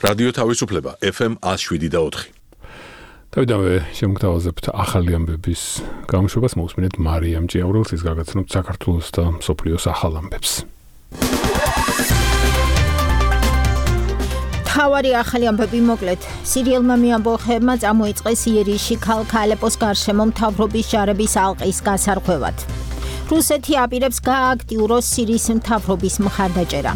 რადიო თავისუფლება FM 107.4. თავიდანვე შემოგთავაზებთ ახალი ამბების გამოშვებას, მოусმინეთ მარიამ ჭიაურელს, ის გაგაცნობთ საქართველოს და მსოფლიოს ახალ ამბებს. თავარი ახალი ამბები მოკლედ. სირიელმა მეამბოხებმა წამოიწყეს იერიშში ქალაქ ალეპოს გარშემო მთავრობის ჯარების ალყის გასარღვევად. რუსეთი აპირებს გააქტიუროს სირიის მთავრობის მხარდაჭერა.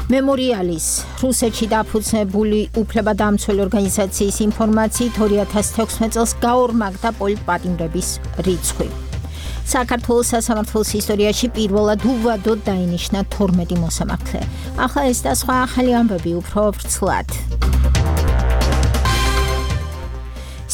მემორიალის რუსეთში დაფუძნებული უფლებადამცველი ორგანიზაციის ინფორმაციით 2016 წელს გაორმაგდა პოლიტპატიმრების რიცხვი. საქართველოს სასამართლოს ისტორიაში პირველად უვადოდ დაინიშნა 12 მოსამართლე. ახლა ეს და სხვა ახალი ამბები უფრო ვრცლად.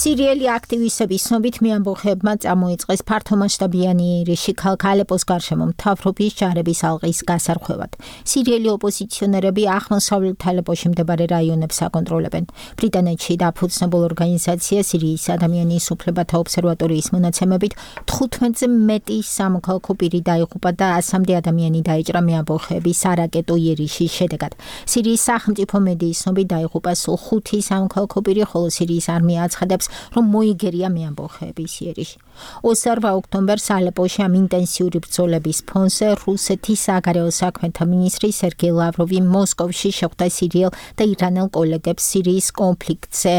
სირიელი აქტივისტების ცნობით მეამბოხებმა წამოიწყეს ფართომასშტაბიანი იერიში ქალაქ ალეპოს გარშემო მთავრობის ჯარების ალყის გასარღვევად. სირიელი ოპოზიციონერები აღმოსავლეთ ალეპოში მდებარე რაიონებს აკონტროლებენ. ბრიტანეთში დაფუძნებულ ორგანიზაცია სირიის ადამიანის უფლებათა ობსერვატორიის მონაცემებით 15-ზე მეტი სამოქალაქო პირი დაიღუპა და 100-მდე ადამიანი დაიჭრა მეამბოხეების არაკეტო იერიშის შედეგად. სირიის სახელმწიფო მედიის ცნობით დაიღუპა სულ 5 სამოქალაქო პირი, ხოლო სირიის არმია აცხადებს, რომ მოიგერია მეამბოხეების იერიში. 28 ოქტომბერს ალეპოში ამ ინტენსიური ბრძოლების ფონზე რუსეთის საგარეო საქმეთა მინისტრი სერგეი ლავროვი მოსკოვში შეხვდა სირიელ და ირანელ კოლეგებს სირიის კონფლიქტზე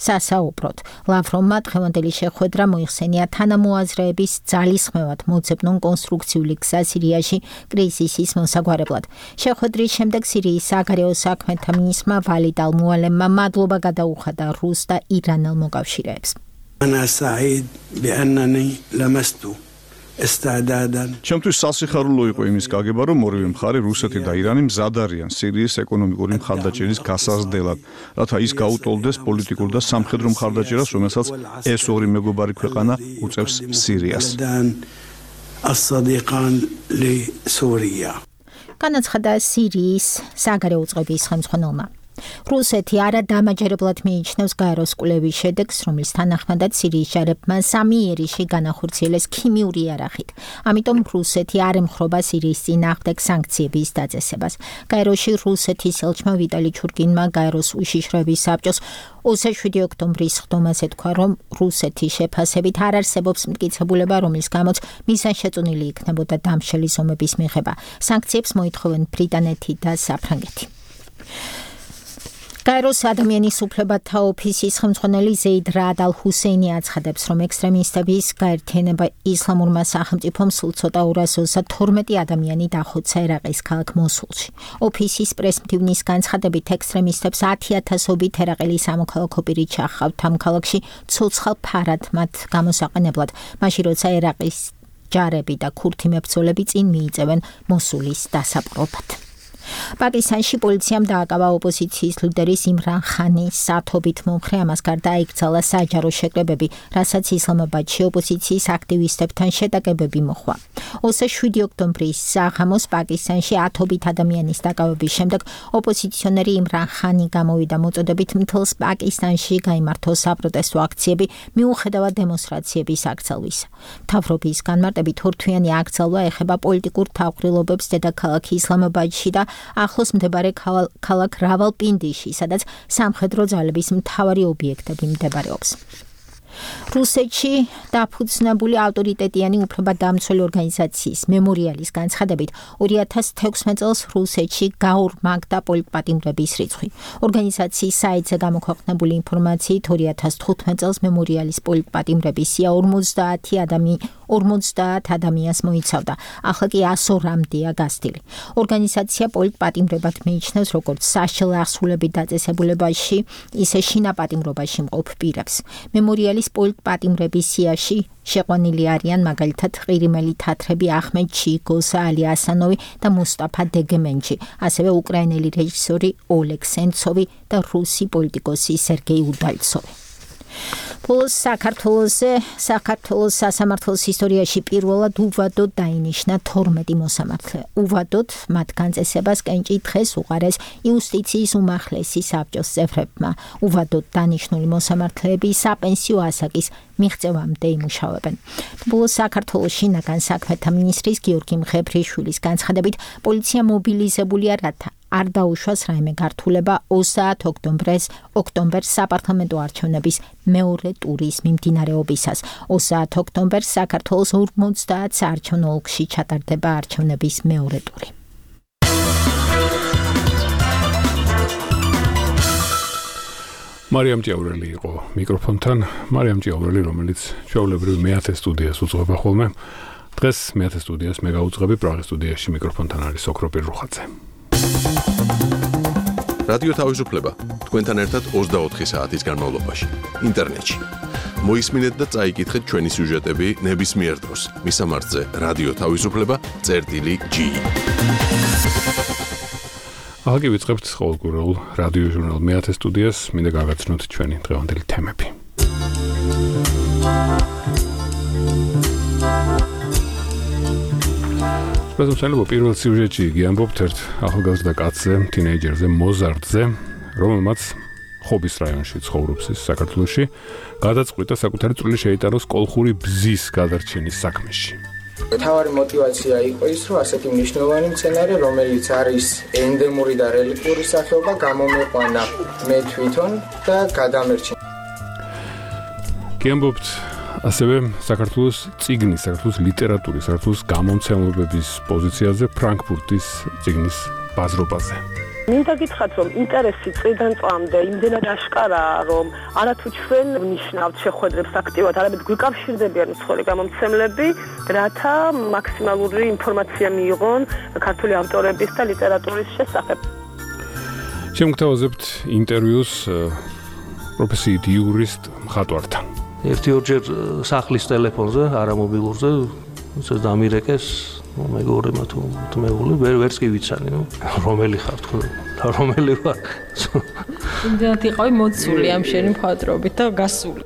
სასაუბროდ. ლავროვმა დღევანდელი შეხვედრა მოიხსენია თანამოაზრეების ძალისხმევად მოძებნონ კონსტრუქციული გზა სირიაში კრიზისის მოსაგვარებლად. შეხვედრის შემდეგ სირიის საგარეო საქმეთა მინისტრმა ვალიდ ალ-მუალემმა მადლობა გადაუხადა რუს და ირანელ მოკავშირეებს. أنا سعيد بأنني لمست استعدادا. ჩემთვის სასიხარულო იყო იმის გაგება, რომ ორივე მხარე რუსეთი და ირანი მზად არიან სირიის ეკონომიკური მხარდაჭერის გასაზრდელად, რათა ის გაუტოლდეს პოლიტიკურ და სამხედრო მხარდაჭერას, რომელსაც ეს ორი მეგობარი ქვეყანა უწევს სირიას. الصديقان لسوريا. განაცხადა სირიის საგარეო უწყების ხელმძღვანელმა. რუსეთი არადამაჯერებლად მიიჩნევს გაეროს კვლევის შედეგს, რომლის თანახმადაც სირიის ჯარებმა 3 იერიში განახორციელეს ქიმიური იარაღით. ამიტომ რუსეთი არ ემხრობა სირიის წინააღმდეგ სანქციების დაწესებას. გაეროში რუსეთის ელჩმა ვიტალი ჩურკინმა გაეროს უშიშროების საბჭოს 27 ოქტომბრის ხდომაზე თქვა, რომ რუსეთის შეფასებით არ არსებობს მტკიცებულება, რომლის გამოც მიზანშეწონილი იქნებოდა დამშელი ზომების მიღება. სანქციებს მოითხოვენ ბრიტანეთი და საფრანგეთი. გაეროს ადამიანის უფლებათა ოფისის ხელმძღვანელი ზეიდ რაად ალ-ჰუსეინი აცხადებს, რომ ექსტრემისტების გაერთიანება ისლამურმა სახელმწიფომ სულ ცოტა 222 ადამიანი დახოცა ერაყის ქალაქ მოსულში. ოფისის პრესმდივნის განცხადებით ექსტრემისტებს 10,000-ობით ერაყელი სამოქალაქო პირი ჩახავთ ამ ქალაქში ცოცხალ ფარად მათ გამოსაყენებლად, მაშინ როცა ერაყის ჯარები და ქურთი მებრძოლები წინ მიიწევენ მოსულის დასაპყრობად. პაკისტანში პოლიციამ დააკავა ოპოზიციის ლიდერის იმრან ხანის სათობით მომხრე, ამას გარდა აიკრძალა საჯარო შეკრებები, რასაც ისლამაბადში ოპოზიციის აქტივისტებთან შეტაკებები მოჰყვა. 27 ოქტომბრის საღამოს პაკისტანში 10-ობით ადამიანის დაკავების შემდეგ ოპოზიციონერი იმრან ხანი გამოვიდა მოწოდებით მთელს პაკისტანში გაიმართო საპროტესტო აქციები მიუხედავად დემონსტრაციების აკრძალვისა. მთავრობის განმარტებით ორთვიანი აკრძალვა ეხება პოლიტიკურ თავყრილობებს დედაქალაქ ისლამაბადში და ახლოს მდებარე ქალაქ რავალპინდიში, სადაც სამხედრო ძალების მთავარი ობიექტები მდებარეობს. რუსეთში დაფუძნებული ავტორიტეტიანი უფლებადამცველი ორგანიზაციის მემორიალის განცხადებით 2016 წელს რუსეთში გაორმაგდა პოლიტპატიმრების რიცხვი. ორგანიზაციის საიტზე გამოქვეყნებული ინფორმაციით 2015 წელს მემორიალის პოლიტპატიმრების სია 50 ადამიანს მოიცავდა. ახლა კი 102-მდეა გასტილი. ორგანიზაცია პოლიტპატიმრებად მიიჩნევს როგორც საშიელ აღსრულებით დაწესებულებაში, ისე შინაპატიმრობაში მყოფ პირებს. მემორიალის პოლიტპატიმრების სიაში შეყვანილი არიან მაგალითად ყირიმელი თათრები ახმედ ჩიგოსა, ალი ასანოვი და მუსტაფა დეგემენჯი, ასევე უკრაინელი რეჟისორი ოლეგ სენცოვი და რუსი პოლიტიკოსი სერგეი უდალცოვი. ბოლოს საქართველოს სასამართლოს ისტორიაში პირველად უვადოდ დაინიშნა 12 მოსამართლე. უვადოდ მათ განწესებას კენჭი დღეს უყარეს იუსტიციის უმაღლესი საბჭოს წევრებმა. უვადოდ დანიშნული მოსამართლეები საპენსიო ასაკის მიღწევამდე იმუშავებენ. ბოლოს საქართველოს შინაგან საქმეთა მინისტრის გიორგი მღებრიშვილის განცხადებით, პოლიცია მობილიზებულია, რათა არ დაუშვას რაიმე გართულება 30 ოქტომბერს საპარლამენტო არჩევნების მეორე ტურის მიმდინარეობისას. 30 ოქტომბერს საქართველოს 50 საარჩევნო ოლქში ჩატარდება არჩევნების მეორე ტური. მარიამ ჭიაურელი იყო მიკროფონთან. მარიამ ჭიაურელი, რომელიც ჩვეულებრივ მეათე სტუდიას უძღვება ხოლმე. დღეს მეათე სტუდიას მე გავუძღვები, პრაღის სტუდიაში მიკროფონთან არის ოქროპირ რუხაძე. რადიო თავისუფლება თქვენთან ერთად 24 საათის განმავლობაში ინტერნეტში. მოისმინეთ და წაიკითხეთ ჩვენი სიუჟეტები ნებისმიერ დროს. მისამართზე რადიო თავისუფლება.gi. ახლა ვიწყებთ ყოველკვირეულ რადიო ჟურნალ მეათე სტუდიას, მინდა გავაცნოთ ჩვენი დღევანდელი თემები. სპეციალურ პირველ სიუჟეტში გიამბობთ ერთ ახალგაზრდა კაცზე, თინეიჯერზე, მოზარდზე, რომელმაც ხობის რაიონში ცხოვრობს საქართველოში, გადაწყვიტა საკუთარი წვლილი შეიტანოს კოლხური ბზის გადარჩენის საქმეში. თავარი мотиваცია იყო ის, რომ ასეთი მნიშვნელოვანი მცენარე, რომელიც არის ენდემური და რელიქტური სახეობა, გამომეყვანა მე თვითონ და გადამერჩინა. გიამბობთ ასევე საქართველოს წიგნის, საქართველოს ლიტერატურის, საქართველოს გამომცემლობების პოზიციაზე, ფრანკფურტის წიგნის ბაზრობაზე. მინდა გითხრათ, რომ ინტერესი წლიდან წლამდე იმდენად აშკარაა, რომ არათუ ჩვენ ვნიშნავთ შეხვედრებს აქტიურად, არამედ გვიკავშირდებიან უცხოელი გამომცემლები, რათა მაქსიმალური ინფორმაცია მიიღონ ქართული ავტორების და ლიტერატურის შესახებ. შემოგთავაზებთ ინტერვიუს პროფესიით იურისტ მხატვართან. ერთ-ორჯერ სახლის ტელეფონზე, არა მობილურზე, ეს დამირეკეს, მეგობრებმა თუ თმეული, ვერც კი ვიცანი, რომელი ხარ თქო, და რომელი ვარ. იმდენად იყავი მოცული ამ შენი მხატვრობით და გასული.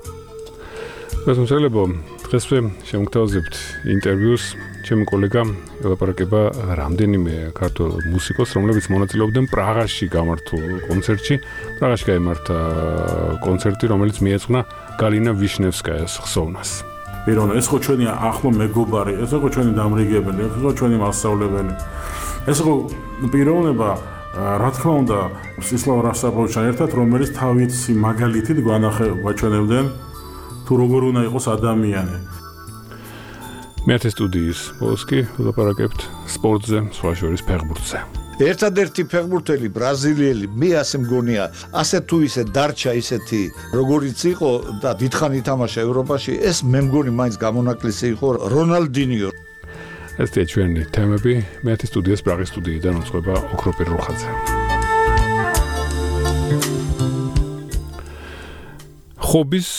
მოსმოწელებო, დღესვე შემოგთავაზებთ ინტერვიუს ჩემი კოლეგა ელაპარაკება რამდენიმე ქართულ მუსიკოს, რომლებიც მონაწილეობდნენ პრაღაში გამართულ კონცერტში. პრაღაში გაიმართა კონცერტი, რომელიც მიეძღვნა გალინა ვიშნევსკაიას ხსოვნას. პირონა, ეს ხო ჩვენი ახლო მეგობარი, ეს ხო ჩვენი დამრიგებელი, ეს ხო ჩვენი მასწავლებელი. ეს ხო პიროვნება, რა თქმა უნდა, სისლავ რასაბოვიჩთან ერთად, რომელიც თავისი მაგალითით გვაჩვენებდნენ თუ როგორ უნდა იყოს ადამიანი. მეათე სტუდიის ბოლოსკი ვლაპარაკებთ სპორტზე, სხვა შორის ფეხბურთზე. ერთადერთი ფეხბურთელი ბრაზილიელი, მე ასე მგონია, ასე თუ ისე დარჩა ისეთი, როგორიც იყო და დიდხანი ითამაშა ევროპაში, ეს მე მგონი მაინც გამონაკლისი იყო რონალდინიო. ესეა ჩვენი თემები, მეათე სტუდიის პრაღის სტუდიიდან უძღვება ოქროპირ რუხაძე. ხობის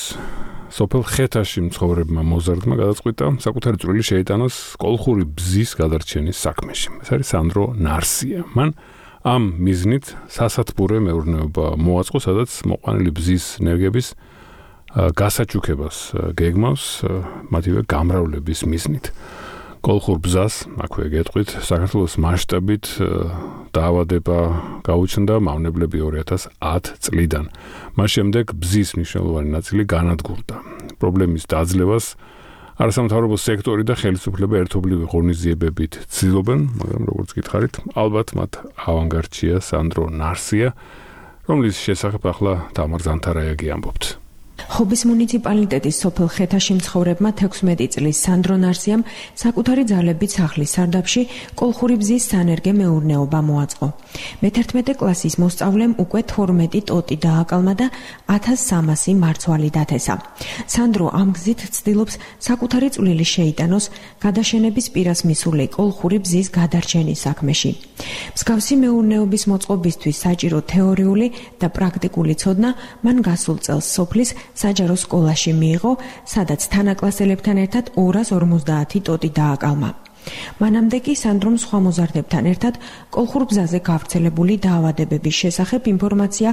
სოფელ ხეთაში მცხოვრებმა მოზარდმა გადაწყვიტა საკუთარი წვლილი შეიტანოს კოლხური ბზის გადარჩენის საქმეში. ეს არის სანდრო ნარსია. მან ამ მიზნით სასათბურე მეურნეობა მოაწყო, სადაც მოყვანილი ბზის ნერგების გასაჩუქებას გეგმავს მათივე გამრავლების მიზნით. კოლხურ ბზას, აქვე გეტყვით, საქართველოს მასშტაბით დაავადება გაუჩნდა მავნებლები 2010 წლიდან. მას შემდეგ ბზის მნიშვნელოვანი ნაწილი განადგურდა. პრობლემის დაძლევას არასამთავრობო სექტორი და ხელისუფლება ერთობლივი ღონისძიებებით ცდილობენ, მაგრამ როგორც გითხარით, ალბათ მათ ავანგარდშია სანდრო ნარსია, რომლის შესახებ ახლა თამარ ზანთარაიაგი ამბობთ. ხობის მუნიციპალიტეტის სოფელ ხეთაში მცხოვრებმა 16 წლის სანდრო ნარსიამ საკუთარი ძალებით სახლის სარდაფში კოლხური ბზის სანერგე მეურნეობა მოაწყო. მე-11 კლასის მოსწავლემ უკვე 12 ტოტი დააკალმა და 1300 მარცვალი დათესა. სანდრო ამ გზით ცდილობს საკუთარი წვლილი შეიტანოს გადაშენების პირას მისული კოლხური ბზის გადარჩენის საქმეში. მსგავსი მეურნეობის მოწყობისთვის საჭირო თეორიული და პრაქტიკული ცოდნა მან გასულ წელს სოფლის საჯარო სკოლაში მიიღო, სადაც თანაკლასელებთან ერთად 250 ტოტი დააკალმა. მანამდე კი სანდრომ სხვა მოზარდებთან ერთად კოლხურ ბზაზე გავრცელებული დაავადებების შესახებ ინფორმაცია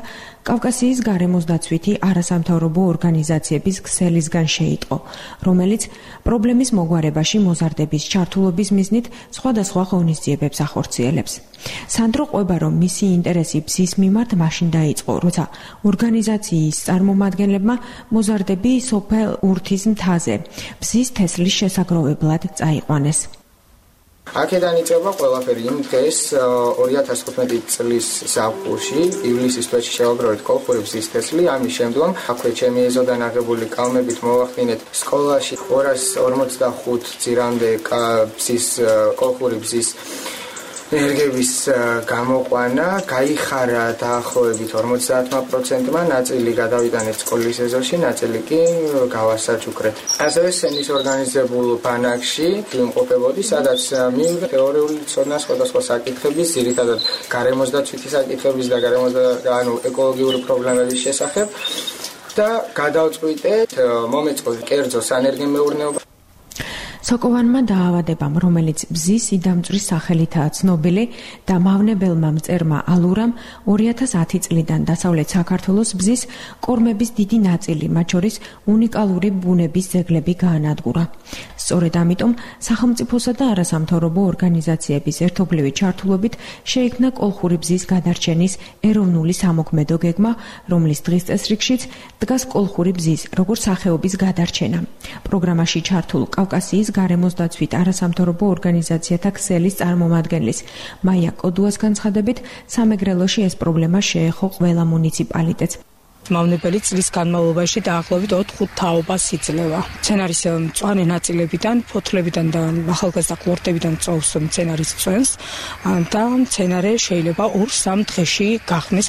კავკასიის გარემოს დაცვითი არასამთავრობო ორგანიზაციების ქსელისგან შეიტყო, რომელიც პრობლემის მოგვარებაში მოზარდების ჩართულობის მიზნით სხვადასხვა ღონისძიებებს ახორციელებს. სანდრო ყვება, რომ მისი ინტერესი ბზის მიმართ მაშინ დაიწყო, როცა ორგანიზაციის წარმომადგენლებმა მოზარდები სოფელ ურთის მთაზე ბზის თესლის შესაგროვებლად წაიყვანეს. აქედან იწყება ყველაფერი იმ დღეს 2015 წლის ზაფხულში ივლისის თვეში შევაგროვეთ კოლხური ბზის თესლი, ამის შემდგომ აქვე ჩემი ეზოდან აღებული კალმებით მოვახდინეთ სკოლაში 245 ძირამდე კოლხური ბზის ენერგების გამოყვანა, გაიხარა დაახლოებით 50%-მა, ნაწილი გადავიტანეთ სკოლის ეზოში, ნაწილი კი გავასაჩუქრეთ. ასევე სენის ორგანიზებულ ბანაკში ვიმყოფებოდი, სადაც მივიღე თეორიული ცოდნა სხვადასხვა საკითხების, ძირითადად გარემოსდაცვითი საკითხების და ეკოლოგიური პრობლემების შესახებ და გადავწყვიტეთ მომეწყო კერძო სანერგემეურნეობა. სოკოვანმა დაავადებამ, რომელიც ბზის იდამწვრის სახელითაა ცნობილი და მავნებელმა მწერმა ალურამ 2010 წლიდან დასავლეთ საქართველოს ბზის კორმების დიდი ნაწილი, მათ შორის უნიკალური ბუნების ძეგლები გაანადგურა. სწორედ ამიტომ სახელმწიფოსა და არასამთავრობო ორგანიზაციების ერთობლივი ჩართულობით შეიქმნა კოლხური ბზის გადარჩენის ეროვნული სამოქმედო გეგმა, რომლის დღის წესრიგშიც დგას კოლხური ბზის როგორც სახეობის გადარჩენა. პროგრამაში ჩართულ კავკასიის გარემოსდაცვით არასამთავრობო ორგანიზაციათა ქსელის წარმომადგენლის მაია კოდუას განცხადებით, სამეგრელოში ეს პრობლემა შეეხო ყველა მუნიციპალიტეტს. მავნებელი წლის განმავლობაში დაახლოებით 4-5 თაობას იძლევა. მცენარის მწვანე ნაწილებიდან, ფოთლებიდან და ახალგაზრდა ყლორტებიდან წოვს მცენარის წვენს და მცენარე შეიძლება 2-3 დღეში გახსნეს.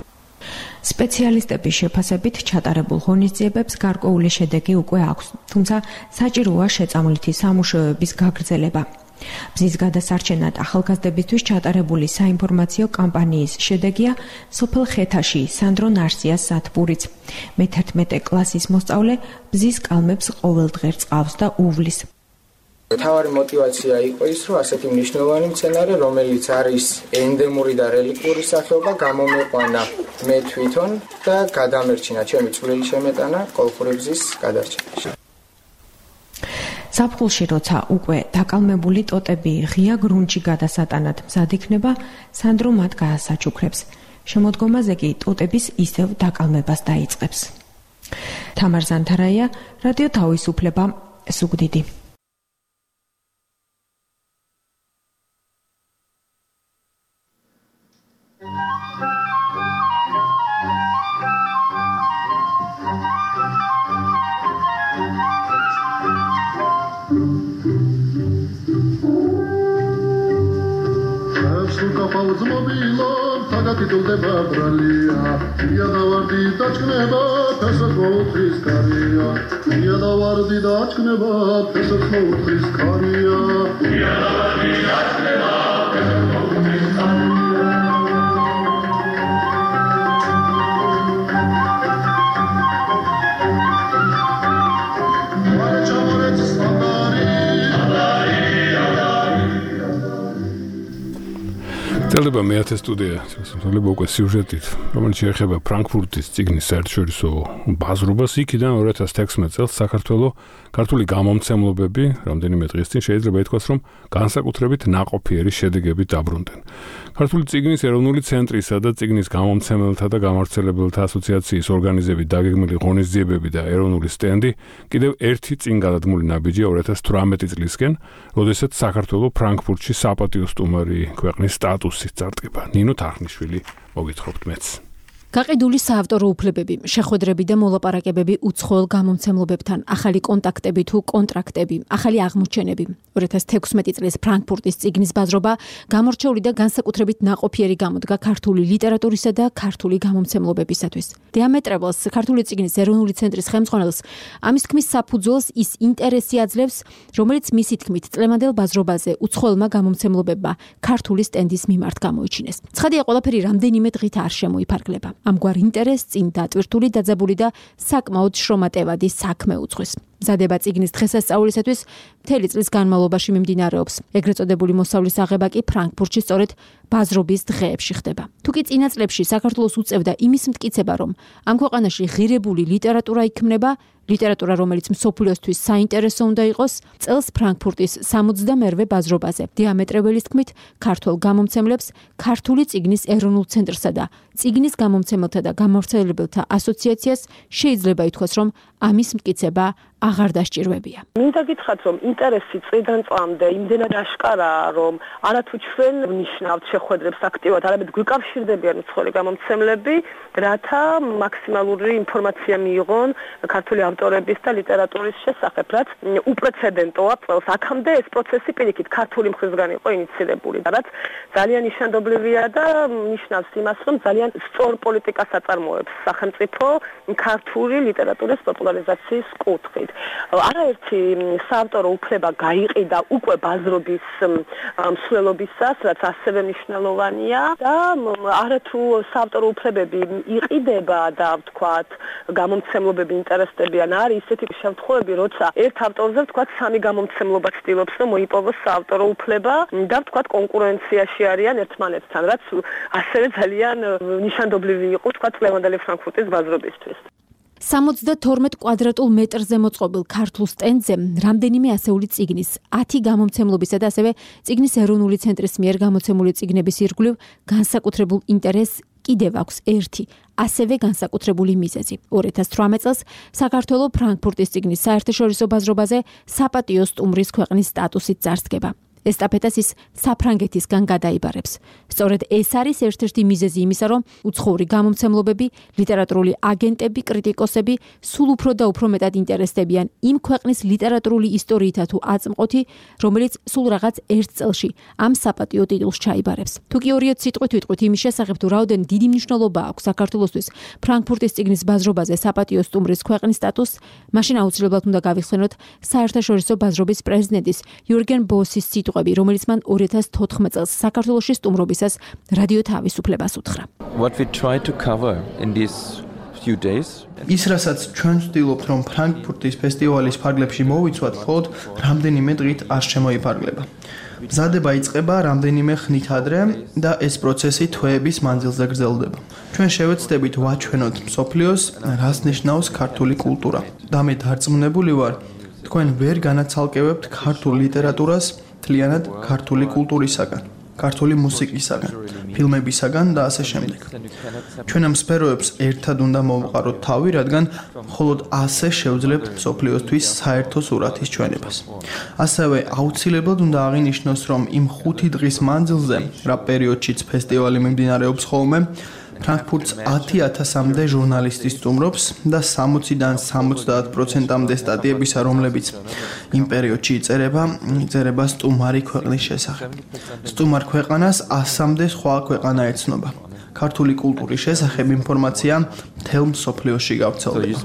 სპეციალისტების შეფასებით ჩატარებულ ღონისძიებებს გარკვეული შედეგი უკვე აქვს, თუმცა საჭიროა შეწამლითი სამუშაოების გაგრძელება. ბზის გადასარჩენად ახალგაზრდებისთვის ჩატარებული საინფორმაციო კამპანიის შედეგია სოფელ ხეთაში სანდრო ნარსიას სათბურიც. მე-11 კლასის მოსწავლე ბზის კალმებს ყოველდღე რწყავს და უვლის. თავარი мотивация იყო ის, რომ ასეთი მნიშვნელოვანი მცენარე, რომელიც არის ენდემური და რელიქტური სახეობა, გამომეყვანა მე თვითონ და გადამერჩინა ჩემი წვლილი შემეტანა კოლხური ბზის გადარჩენაში. ზაფხულში, როცა უკვე დაკალმებული ტოტები ღია გრუნტში გადასატანად მზად იქნება, სანდრო მათ გაასაჩუქრებს. შემოდგომაზე კი ტოტების ისევ დაკალმებას დაიწყებს. თამარ ზანთარაია, რადიო თავისუფლება, ზუგდიდი. გიტულდება ბრალია, იადავარდი დაჭკნება, ფესად მოუთხრის კარია. იადავარდი დაჭკნება, ფესად მოუთხრის კარია. იადავარდი დაჭკნება, ფესად მოუთხრის კარია. მარჩამორეც სტანდარი, წელდება მეათე სტუდია, წელდება უკვე სიუჟეტით, რომელიც შეეხება ფრანკფურტის წიგნის საერთაშორისო ბაზრობას. იქიდან 2016 წელს საქართველოს ქართული გამომცემლობები რამდენიმე დღის წინ შეიძლება ითქვას, რომ განსაკუთრებით ნაყოფიერი შედეგებით დაბრუნდნენ. ქართული წიგნის ეროვნული ცენტრისა და წიგნის გამომცემელთა და გამავრცელებელთა ასოციაციის ორგანიზებით დაგეგმილი ღონისძიებები და ეროვნული სტენდი კიდევ ერთი წინ გადადგმული ნაბიჯია 2018 წლისკენ, როდესაც საქართველოს ფრანკფურტში საპატიო სტუმარი ქვეყნის სტატუსით წარდგება. ნინო თარხნიშვილი მოგითხრობთ მეც. გაყიდული საავტორო უფლებები, შეხვედრები და მოლაპარაკებები უცხოელ გამომცემლობებთან, ახალი კონტაქტები თუ კონტრაქტები, ახალი აღმოჩენები. 2016 წლის ფრანკფურტის წიგნის ბაზრობა გამორჩეული და განსაკუთრებით ნაყოფიერი გამოდგა ქართული ლიტერატურისა და ქართული გამომცემლობებისათვის. დიამეტრაბელს, ქართული წიგნის ეროვნული ცენტრის ხელმძღვანელს, ამის თქმის საფუძველს ის ინტერესი აძლევს, რომელიც მისი თქმით წლევანდელ ბაზრობაზე უცხოელმა გამომცემლობებმა ქართული სტენდის მიმართ გამოიჩინეს. ცხადია, ყველაფერი რამდენიმე დღით არ შემოიფარგლება. ამგვარ ინტერესს წინ დატვირთული დაძაბული და საკმაოდ შრომატევადი საქმე უძღვის. მზადება წიგნის დღესასწაულისათვის მთელი წლის განმავლობაში მიმდინარეობს. ეგრეთ წოდებული მოსავლის აღება კი ფრანკფურტში სწორედ ბაზრობის დღეებში ხდება. თუკი წინა წლებში საქართველოს უწევდა იმის მტკიცება, რომ ამ ქვეყანაში ღირებული ლიტერატურა იქმნება, ლიტერატურა, რომელიც მსოფლიოსთვის საინტერესო უნდა იყოს, წელს ფრანკფურტის 68-ვე ბაზრობაზე დიამეტრაბელის თქმით, ქართულ გამომცემლებს ქართული წიგნის ეროვნულ ცენტრსა და წიგნის გამომცემელთა და გამავრცელებელთა ასოციაციას შეიძლება ითქვას, რომ ამის მტკიცება აღარ დასჭირვებია. მინდა გითხრათ, რომ ინტერესი წლიდან წლამდე იმდენად აშკარაა, რომ არათუ ჩვენ ვნიშნავთ შეხვედრებს აქტიურად, არამედ გვიკავშირდებიან უცხოელი გამომცემლები, რათა მაქსიმალური ინფორმაცია მიიღონ ქართული ავტორების და ლიტერატურის შესახებ, რაც უპრეცედენტოა წელს. აქამდე ეს პროცესი პირიქით ქართული მხრისგან იყო ინიცირებული, რაც ძალიან ნიშანდობლივია და ნიშნავს იმას, რომ ძალიან სწორ პოლიტიკას აწარმოებს სახელმწიფო ქართული ლიტერატურის პოპულარიზაციის კუთხით. არაერთი საავტორო უფლება გაიყიდა უკვე ბაზრობის მსვლელობისას, რაც ასევე მნიშვნელოვანია და არათუ საავტორო უფლებები იყიდება და ვთქვათ, გამომცემლობები ინტერესდებიან, არის ისეთი შემთხვევები, როცა ერთ ავტორზე ვთქვათ, სამი გამომცემლობა ცდილობს, რომ მოიპოვოს საავტორო უფლება და ვთქვათ, კონკურენციაში არიან ერთმანეთთან, რაც ასევე ძალიან ნიშანდობლივი იყო, ვთქვათ, ლევანდელი ფრანკფურტის ბაზრობისთვის. 72 კვადრატულ მეტრზე მოწყობილ ქართულ სტენდზე რამდენიმე ასეული წიგნის, 10 გამომცემლობისა და ასევე წიგნის ეროვნული ცენტრის მიერ გამოცემული წიგნების ირგვლივ განსაკუთრებულ ინტერესს კიდევ აქვს ერთი, ასევე განსაკუთრებული მიზეზი. 2018 წელს საქართველოს ფრანკფურტის წიგნის საერთაშორისო ბაზრობაზე საპატიო სტუმრის ქვეყნის სტატუსით წარსდგება. ესტაფეტას ის საფრანგეთისგან გადაიბარებს. სწორედ ეს არის ერთ-ერთი მიზეზი იმისა, რომ უცხოური გამომცემლობები, ლიტერატურული აგენტები, კრიტიკოსები სულ უფრო და უფრო მეტად ინტერესდებიან იმ ქვეყნის ლიტერატურული ისტორიითა თუ აწმყოთი, რომელიც სულ რაღაც ერთ წელში ამ საპატიო ტიტულს ჩაიბარებს. თუ კი ორიოდ სიტყვით ვიტყვით იმის შესახებ, თუ რაოდენ დიდი მნიშვნელობა აქვს საქართველოსთვის ფრანკფურტის წიგნის ბაზრობაზე საპატიო სტუმრის ქვეყნის სტატუსს, მაშინ აუცილებლად უნდა გავიხსენოთ საერთაშორისო ბაზრობის პრეზიდენტის იურგენ ბოსის რომელიც მან 2014 წელს საქართველოში სტუმრობისას რადიო თავისუფლებას უთხრა. ის რასაც ჩვენ ვცდილობთ, რომ ფრანკფურტის ფესტივალის ფარგლებში მოვიცვათ, მხოლოდ რამდენიმე დღით არ შემოიფარგლება. მზადება იწყება რამდენიმე ხნით ადრე და ეს პროცესი თვეების მანძილზე გრძელდება. ჩვენ შევეცდებით ვაჩვენოთ მსოფლიოს, რას ნიშნავს ქართული კულტურა. და მე დარწმუნებული ვარ, თქვენ ვერ განაცალკევებთ ქართულ ლიტერატურას მთლიანად ქართული კულტურისაგან, ქართული მუსიკისაგან, ფილმებისაგან და ასე შემდეგ. ჩვენ ამ სფეროებს ერთად უნდა მოვყაროთ თავი, რადგან მხოლოდ ასე შევძლებთ მსოფლიოსთვის საერთო სურათის ჩვენებას. ასევე აუცილებლად უნდა აღინიშნოს, რომ იმ 5 დღის მანძილზე, რა პერიოდშიც ფესტივალი მიმდინარეობს ხოლმე, ფრანკფურტს 10,000-მდე ჟურნალისტი სტუმრობს და 60-დან 70%-მდე სტატიებისა, რომლებიც იმ პერიოდში იწერება სტუმარი ქვეყნის შესახებ. სტუმარ ქვეყანას 100-მდე სხვა ქვეყანა ეცნობა. ქართული კულტურის შესახებ ინფორმაცია მთელ მსოფლიოში გავრცელდება.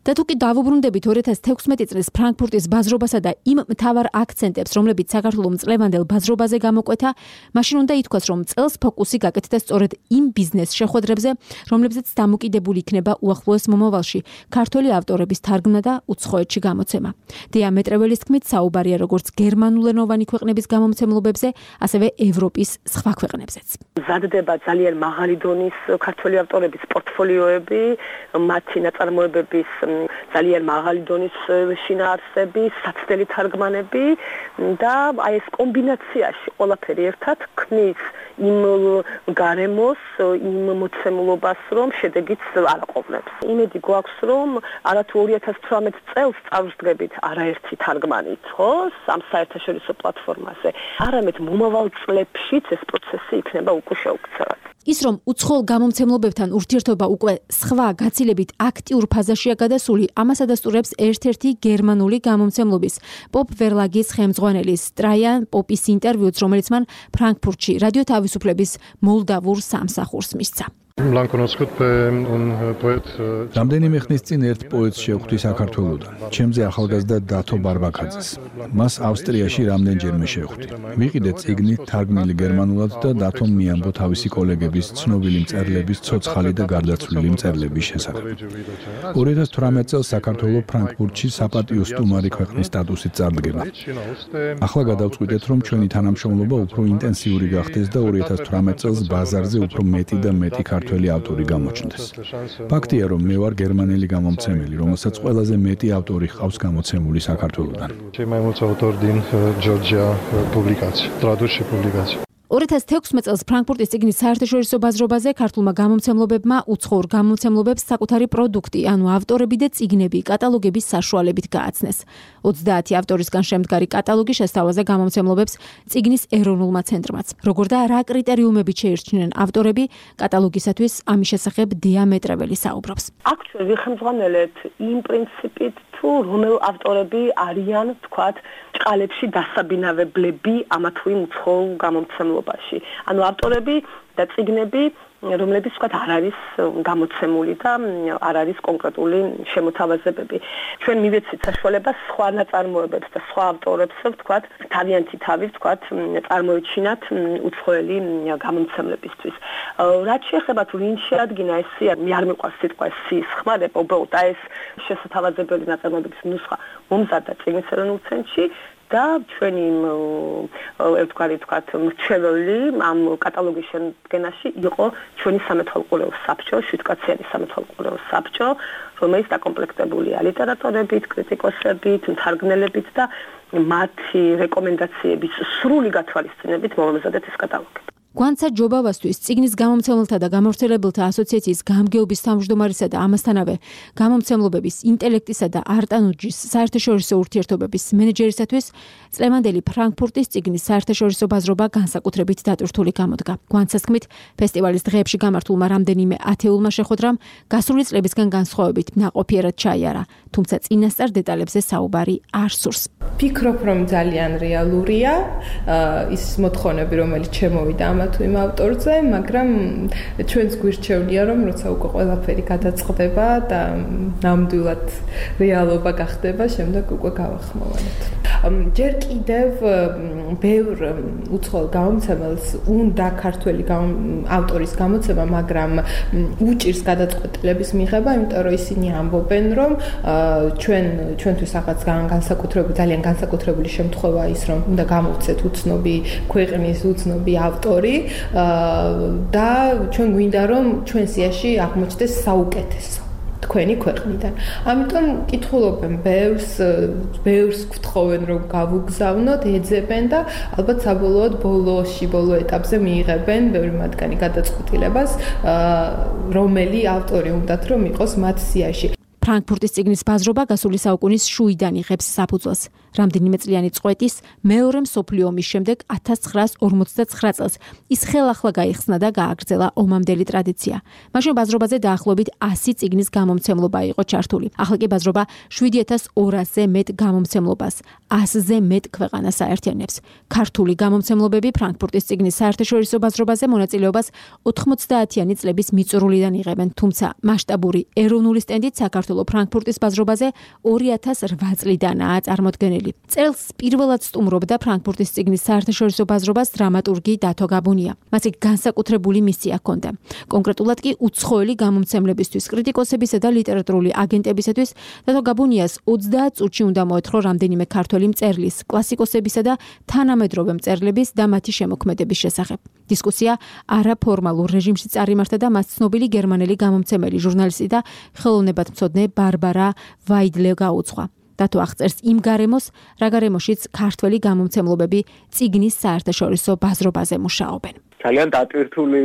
და თუ კი დავუბრუნდებით 2016 წლის ფრანკფურტის ბაზრობასა და იმ მთავარ აქცენტებს, რომლებიც საქართველოს მწლევანდელ ბაზრობაზე გამოკვეთა, მაშინ უნდა ითქვას, რომ წელს ფოკუსი გაკეთდა სწორედ იმ ბიზნეს შეხვედრებზე, რომლებზეც დამოკიდებული იქნება უახლოეს მომავალში ქართული ავტორების თარგმნა და უცხოეთში გამოცემა. დიამეტრეველის თქმით, საუბარია როგორც გერმანულენოვანი ქვეყნების გამომცემლობებზე, ასევე ევროპის სხვა ქვეყნებზეც. მზადდება ძალიან მაღალი დონის ქართული ავტორების პორტფოლიოები, მათი ნაწარმოებების ძალიან მაღალი დონის შინაარსები, საცდელი თარგმანები და აი ეს კომბინაციაში ყველაფერი ერთად ქმნის იმ გარემოს, იმ მოცემულობას, რომ შედეგიც არ აყოლებს. იმედი გვაქვს, რომ არათუ 2018 წელს წარვსდგებით არაერთი თარგმანით, ხო, ამ საერთაშორისო პლატფორმაზე, არამედ მომავალ წლებშიც ეს პროცესი იქნება უკვე შეუქცევად. ის რომ უცხოელ გამომცემლობებთან ურთიერთობა უკვე სხვა გაცილებით აქტიურ ფაზაშია გადასული, ამას ადასტურებს ერთ-ერთი გერმანული გამომცემლობის პოპ ვერლაგის ხელმძღვანელის ტრაიან პოპის ინტერვიუც, რომელიც მან ფრანკფურტში რადიო თავისუფლების მოლდავურ სამსახურს მისცა. რამდენიმე ხნის წინ ერთ პოეტს შევხვდი საქართველოდან, ჩემზე ახალგაზრდა დათო ბარბაკაძეს. მას ავსტრიაში რამდენჯერმე შევხვდი. ვიყიდე წიგნი თარგმნილი გერმანულად და დათომ მიამბო თავისი კოლეგების ცნობილი მწერლების ცოცხალი და გარდაცვლილი მწერლების შესახებ. 2018 წელს საქართველოს ფრანკფურტში საპატიო სტუმარი ქვეყნის სტატუსით წარდგება. ახლა გადავწყვიტეთ, რომ ჩვენი თანამშრომლობა უფრო ინტენსიური გახდეს და 2018 წელს ბაზარზე უფრო მეტი და მეტი ქართველი ავტორი გამოჩნდეს. ფაქტია, რომ მე ვარ გერმანელი გამომცემელი, რომელსაც ყველაზე მეტი ავტორი ჰყავს გამოცემული საქართველოდან. 2016 წელს ფრანკფურტის წიგნის საერთაშორისო ბაზრობაზე ქართულმა გამომცემლობებმა უცხოურ გამომცემლობებს საკუთარი პროდუქტი, ანუ ავტორები და წიგნები კატალოგების საშუალებით გააცნეს. 30 ავტორისგან შემდგარი კატალოგი შესთავაზე გამომცემლობებს წიგნის ეროვნულმა ცენტრმაც. Როგორ და რა კრიტერიუმებით შეირჩნენ ავტორები, კატალოგისათვის ამის შესახებ დიამეტრეველი საუბრობს. აქ ჩვენ ვიხმძღვანელეთ იმ პრინციპით, თუ რომელ ავტორები არიან, თქვათ, ჭყალებში დასაბინავებლები ამა თუ იმ უცხოურ გამომცემლობაში. ანუ ავტორები და წიგნები, რომლებიც თქვათ არ არის გამოცემული და არ არის კონკრეტული შემოთავაზებები. ჩვენ მივეცით საშუალებას სხვა ნაწარმოებებს და სხვა ავტორებს თქვათ, თავიანთი თავის თქვათ, წარმოეჩინათ უცხოელი გამომცემლებისთვის. რაც შეეხება თუ ვინ შეადგინა ეს სია, მე არ მიყვარს სიტყვა სიის ხმარება, უბრალოდ ეს შესათავაზებელი ნაწარმოებების ნუსხა მომზადდა წიგნის ეროვნულ ცენტრში და ჩვენი ერთგვარი თქვათ მრჩეველი ამ კატალოგის შემდგენაში იყო ჩვენი სამეთვალყურეო საბჭო, 7-კაციანი სამეთვალყურეო საბჭო, რომელიც დაკომპლექტებულია ლიტერატორებით, კრიტიკოსებით, მთარგმნელებით და მათი რეკომენდაციების სრული გათვალისწინებით მომზადეთ ეს კატალოგი. გვანცა ჯობავასთვის წიგნის გამომცემელთა და გამავრცელებელთა ასოციაციის გამგეობის თავმჯდომარისა და ამასთანავე გამომცემლობების ინტელექტისა და არტანუჯის საერთაშორისო ურთიერთობების მენეჯერისათვის წლევანდელი ფრანკფურტის წიგნის საერთაშორისო ბაზრობა განსაკუთრებით დატვირთული გამოდგა. გვანცას თქმით, ფესტივალის დღეებში გამართულმა რამდენიმე ათეულმა შეხვედრამ გასული წლებისგან განსხვავებით ნაყოფიერად ჩაიარა, თუმცა წინასწარ დეტალებზე საუბარი არ სურს. ფიქრობ, რომ ძალიან რეალურია ის მოთხოვნები, რომელიც შემოვიდა ამ თუ იმ ავტორზე, მაგრამ ჩვენს გვირჩევნია, რომ როცა უკვე ყველაფერი გადაწყდება და ნამდვილად რეალობა გახდება, შემდეგ უკვე გავახმოვანებთ. ჯერ კიდევ ბევრ უცხოელ გამომცემელს უნდა ქართველი ავტორის გამოცემა, მაგრამ უჭირს გადაწყვეტილების მიღება, იმიტომ რომ ისინი ამბობენ, რომ ჩვენთვის რაღაც ძალიან განსაკუთრებული შემთხვევა ის, რომ უნდა გამოვცეთ უცნობი ქვეყნის უცნობი ავტორი და ჩვენ გვინდა რომ ჩვენ სიაში აღმოჩნდეს საუკეთესო თქვენი ქვეყნიდან. ამიტომ კითხულობენ ბევრს გთხოვენ რომ გავუგზავნოთ, ეძებენ და ალბათ საბოლოოდ ბოლო ეტაპზე მიიღებენ ბევრი მათგანი გადაწყვეტილებას, რომელი ავტორი უნდათ რომ იყოს მათ სიაში. ფრანკფურტის წიგნის ბაზრობა გასული საუკუნის შუიდან იღებს საფუძველს. რამდენიმე წლიანი წყვეტის მეორე მსოფლიო ომის შემდეგ 1959 წელს ის ხელახლა გაიხსნა და გააგრძელა ომამდელი ტრადიცია. მაშინ ბაზრობაზე დაახლოებით 100 წიგნის გამომცემლობა იყო ჩართული. ახლა კი ბაზრობა 7200-ზე მეტ გამომცემლობას, 100-ზე მეტ ქვეყანას აერთიანებს. ქართული გამომცემლობები ფრანკფურტის წიგნის საერთაშორისო ბაზრობაზე მონაწილეობას 90-იანი წლების მიწურულიდან იღებენ, თუმცა მასშტაბური ეროვნული სტენდით საქართველოს ფრანკფურტის ბაზრობაზე 2008 წლიდანაა წარმოდგენილი. წელს პირველად სტუმრობდა ფრანკფურტის წიგნის საერთაშორისო ბაზრობას დრამატურგი დათო გაბუნია. მას განსაკუთრებული მისია ჰქონდა. კონკრეტულად კი უცხოელი გამომცემლებისთვის, კრიტიკოსებისა და ლიტერატურული აგენტებისათვის დათო გაბუნიას 30 წუთში უნდა მოეთხოვა რამდენიმე ქართველი მწერლის, კლასიკოსებისა და თანამედროვე მწერლების და მათი შემოქმედების შესახებ. დისკუსია არაფორმალურ რეჟიმში წარიმართა და მას ცნობილი გერმანელი გამომცემელი, ჟურნალისტი და ხელოვნებათმცოდნე ბარბარა ვაიდლე გაუძღვა. დათო აღწერს იმ გარემოს, რა გარემოშიც ქართველი გამომცემლობები წიგნის საერთაშორისო ბაზრობაზე მუშაობენ. ძალიან დატვირთული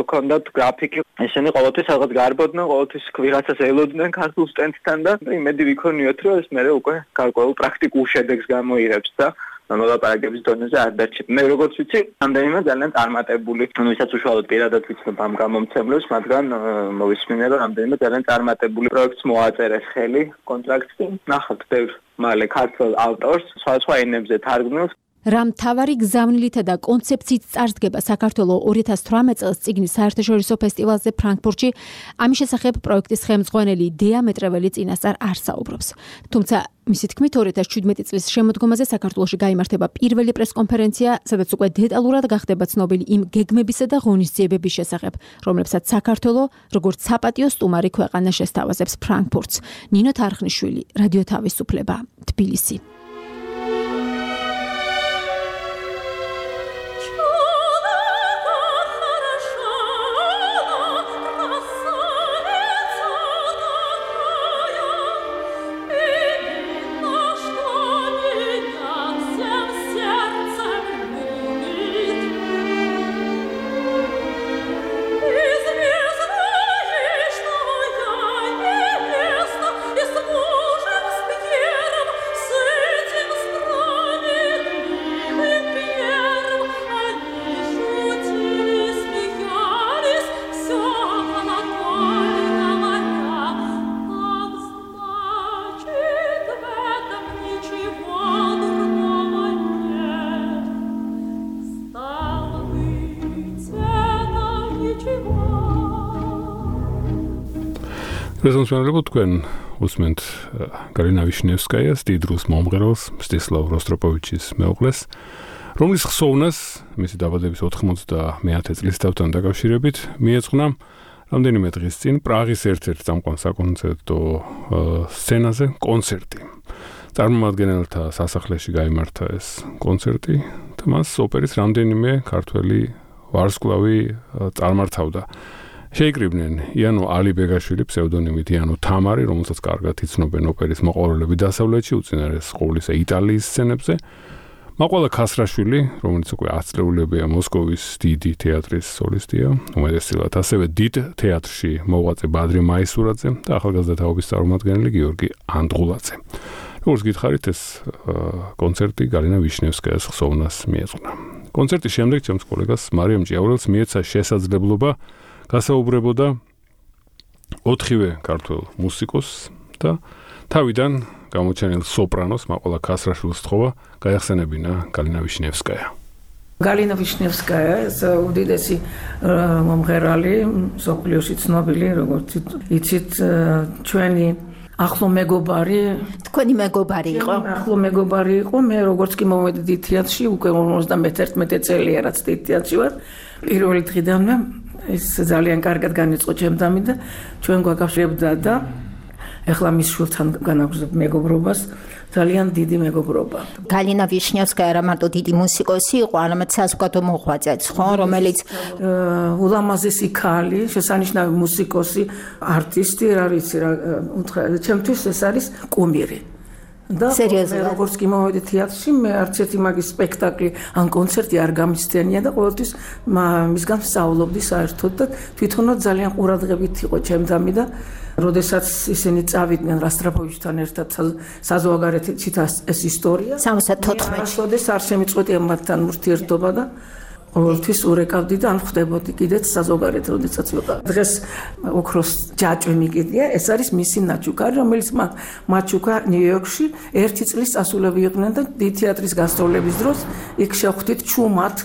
ჰქონდათ გრაფიკი. ესენი ყოველთვის რაღაც გარბოდნენ, ყოველთვის ვიღაცას ელოდნენ ქართულ სტენდთან და იმედი ვიქონიოთ, რომ ეს მე უკვე გარკვეულ პრაქტიკულ შედეგს გამოიღებს და მოლაპარაკების დონეზე არ დარჩება. მე როგორც ვიცი, რამდენიმე ძალიან წარმატებული, ვისაც უშუალოდ პირადად ვიცნობ ამ გამომცემლებს, მაგრამ მოვისმინე, რომ რამდენიმე ძალიან წარმატებული პროექტს მოაწერეს ხელი, კონტრაქტი. ნახავთ ბევრ მალე ქართულ ავტორს, სხვა ენებზე თარგმნილს. რა მთავარი გზავნილითა და კონცეფციით წარსდგება საქართველოს 2018 წელს წიგნის საერთაშორისო ფესტივალზე ფრანკფურტში, ამის შესახებ პროექტის ხელმძღვანელი დიამეტრეველი წინასწარ არ საუბრობს. თუმცა მისი თქმით 2017 წლის შემოდგომაზე საქართველოში გაიმართება პირველი პრესკონფერენცია, სადაც უკვე დეტალურად გახდება ცნობილი იმ გეგმებისა და ღონისძიებების შესახებ, რომლებსაც საქართველოს როგორც საპატიო სტუმარი ქვეყანა შესთავაზებს ფრანკფურტს. ნინო თარხნიშვილი, რადიო თავისუფლება, თბილისი. რეზონსმენელებო თქვენ უსმენთ გალინა ვიშნევსკაიას, დიდ რუს მომღერალს, მსტისლავ როსტროპოვიჩის მეუღლეს, რომლის ხსოვნას მისი დაბადების 91 წლის თავთან დაკავშირებით მიეძღვნა რამდენიმე დღის წინ პრაღის ერთ-ერთ წამყვან საკონცერტო სცენაზე კონცერტი. წარმომადგენელთა სასახლეში გაიმართა ეს კონცერტი და მას ოპერის რამდენიმე ქართველი ვარსკვლავი წარმართავდა. შეიკრიბნენ იანო ალიბეგაშვილი, ფსევდონიმით იანო თამარი, რომელსაც კარგად იცნობენ ოპერის მოყვარულები დასავლეთში, უწინარეს ყოვლისა იტალიის სცენებზე. მაყვალა ქასრაშვილი, რომელიც უკვე 10 წლეულებია მოსკოვის დიდი თეატრის სოლისტია, უმეტესწილად ასევე დიდ თეატრში მოღვაწე ბადრი მაისურაძე და ახალგაზრდა თაობის წარმომადგენელი გიორგი ანდღულაძე. როგორც გითხარით, ეს კონცერტი გალინა ვიშნევსკაიას ხსოვნას მიეძღვნა. კონცერტის შემდეგ ჩემს კოლეგას მარიამ ჭიაურელს მიეცა შესაძლებლობა გასაუბრებოდა 4-ვე ქართველ მუსიკოსს და თავიდან გამოჩენილ სოპრანოს მაყვალა ქასრაშვილს თხოვა გაეხსენებინა გალინა ვიშნევსკაია. გალინა ვიშნევსკაია ეს უდიდესი მომღერალი, მსოფლიოში ცნობილი, როგორც იცით, ჩვენი ახლო მეგობარი, თქვენი მეგობარი იყო? ახლო მეგობარი იყო, მე როგორც კი მოვედი დიდ თეატრში, უკვე 51 წელია რაც დიდ თეატრში ვარ, პირველი დღიდანვე ეს ძალიან კარგად განიწყო ჩემთან და ჩვენ გვაკავშირებდა და ეხლა მის შვილთან განაგზავნებ მეგობრობას, ძალიან დიდი მეგობრობა. გალინა ვიშნევსკაია რა მარტო დიდი მუსიკოსი იყო, არამედ საზოგადო მოღვაწეც, ხო, რომელიც ულამაზესი ქალი, შესანიშნავი მუსიკოსი, არტისტი, რა ვიცი რა, ჩემთვის ეს არის კუმირი. და როგორც კი მოვედი თეატრში, მე არც ერთი მაგის სპექტაკლი ან კონცერტი არ გამისცენია და ყოველთვის მისგან ვსწავლობდი საერთოდ და თვითონაც ძალიან ყურადღებით იყო ჩემთან და როდესაც ისინი წავიდნენ როსტროპოვიჩთან ერთად საზღვარგარეთში ეს ისტორია 74-ში არ შემიწყვეტია მათთან ურთიერთობა და ყოველთვის ურეკავდი და ან ხვდებოდი კიდეც საზოგადოებრივ როდესაც ვიყავ. დღეს ოქროს ჯაჭვი მიგდია, ეს არის მისი ნაჩუქა, რომელიც მაჩუქა ნიუ-იორკში 1 წლის წასულები იყვნენ და დიდ თეატრის გასტროლების დროს იქ შევხვდით ჩუმად.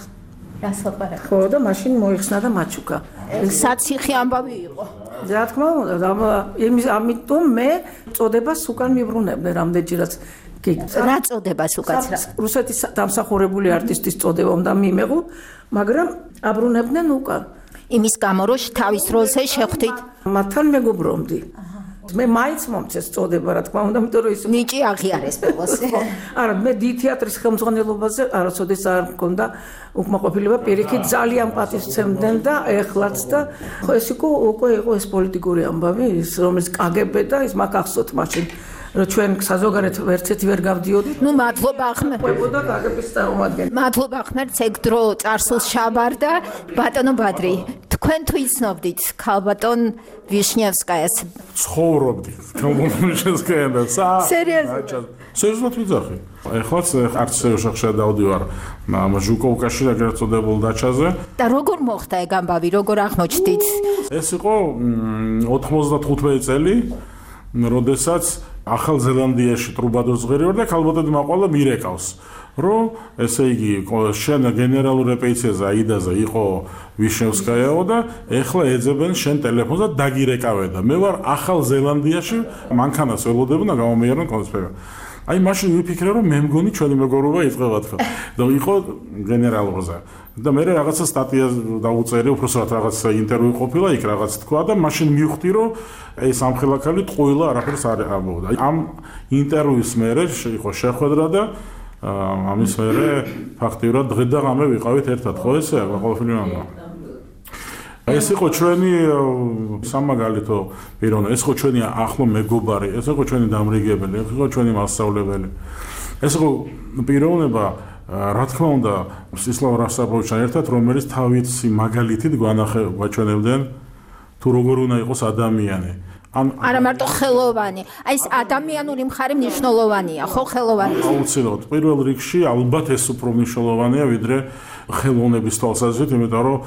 გასაყარებელი. ხო და მაშინ მოიხსნა და მაჩუქა. საციხე ამბავი იყო. რა თქმა უნდა, ამიტომ მე წოდებას უკან მიბრუნებდი რამდენჯერაც რა წოდებას უკაცრა? რუსეთის დამსახურებული არტისტის წოდება უნდა მიიღო, მაგრამ აბრუნებდნენ უკან. იმის გამო რომ თავის დროზე შეხვდით მათთან მეგობრობდი. მე მაინც მომწეს წოდება, რა თქმა უნდა, იმიტომ რომ ის ნიჭი აღიარეს ბოლოს. არა, მე დიდ თეატრის ხელმძღვანელობაზე არასოდეს არ მქონდა უკმაყოფილება, პირიქით ძალიან პატივცემდნენ და ეხლაც და ხო ეს უკვე იყო ეს პოლიტიკური ამბავი, ის რომელიც კგბ და ის მაგ ახსოვთ მაშინ რომ ჩვენ საზოგადოებრივ ერთერთი ვერ გავდიოდით. ნუ მადლობა ხმე. ყვებოდა კგბ-ის წარმომადგენელი. მადლობა ხმერთ, ეგ დრო წარსულს შაბარდა. ბატონო ბადრი, თქვენ თუ იცნობდით ქალბატონ ვიშნევსკაიას? ცხოვრობდი ვიშნევსკაიან და სერიოზულად? სერიოზულად ვიძახი. ეხლაც არც შეშახშა დავდივარ ჟუკოვკაში ეგრეთ წოდებულ დაჩაზე. და როგორ მოხდა ეგ ამბავი, როგორ აღმოჩნდით? ეს იყო 95 წელი, როდესაც ახალ ზელანდიაში ტრუბადორს ღერი ვარ და ქალბატონი მაყვალა მირეკავს, რომ ესე იგი შენ გენერალურ რეპეტიციაზე აიდაზე იყო ვიშნევსკაიაო და ეხლა ეძებენ შენ ტელეფონს და დაგირეკავე და მე ვარ ახალ ზელანდიაში, მანქანას ველოდებოდი და გამომიერონ კონსპექტი. აი მაშინ ვიფიქრე რომ მე მგონი ჩვენი მეგობრობა იწყება თქო და იყო გენერალურზე და მე რაღაცა სტატია დაუწერე უბრალოდ რაღაც ინტერვიუ ყოფილა იქ რაღაც თქვა და მაშინ მივხვდი რომ ეს ამხელაქალი ტყუილა არაფერს არ ამბობდა. ამ ინტერვიუს მერე იყო შეხვედრა და ამის მერე ფაქტიურად დღე და ღამე ვიყავით ერთად ხო ესე ყოველფერი ამბა. ეს იყო ჩვენი სამაგალითო პიროვნება, ეს იყო ჩვენი ახლო მეგობარი, ეს იყო ჩვენი დამრიგებელი, ეს იყო ჩვენი მასწავლებელი. ეს იყო პიროვნება, რა თქმა უნდა, მსტისლავ როსტროპოვიჩთან ერთად, რომელიც თავისი მაგალითით გვაჩვენებდნენ თუ როგორ უნდა იყოს ადამიანი. არა მარტო ხელოვანი, აი ეს ადამიანური მხარე მნიშვნელოვანია, ხო ხელოვანი? აუცილებლად, პირველ რიგში ალბათ ეს უფრო მნიშვნელოვანია ვიდრე ხელოვნების თვალსაზრისით, იმიტომ რომ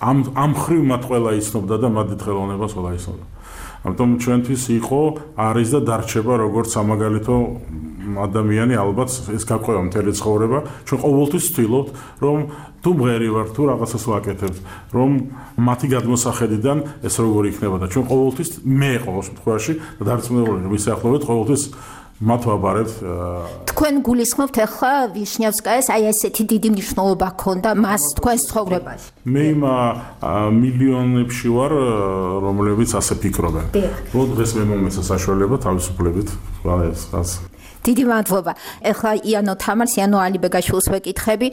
ამ ხრივ მათ ყველა იცნობდა და მათ დიდ ხელოვნებას ყველა იცნობდა. ამიტომ ჩვენთვის იყო, არის და დარჩება როგორც სამაგალითო ადამიანი ალბათ ეს გაყვება მთელი ცხოვრება, ჩვენ ყოველთვის ვთვლობთ, რომ თუ მღერი ვარ, თუ რაღაცას ვაკეთებთ, რომ მათი გადმოსახედიდან ეს როგორ იქნება და ჩვენ ყოველთვის მე ყოველ შემთხვევაში და დარწმუნებული ვისახლოვეთ ყოველთვის მათ ვაბარებთ. თქვენ გულისხმობთ ახლა ვიშნევსკაიას აი ესეთი დიდი მნიშვნელობა ჰქონდა მას თქვენს ცხოვრებაში. მე იმ მილიონებში ვარ, რომლებიც ასე ფიქრობენ. რომ დღეს მე მომეცა საშუალება თავისუფლებით ყველას. დიდი მადლობა. ახლა იანო თამარს, იანო ალიბეგაშვილს ვეკითხები.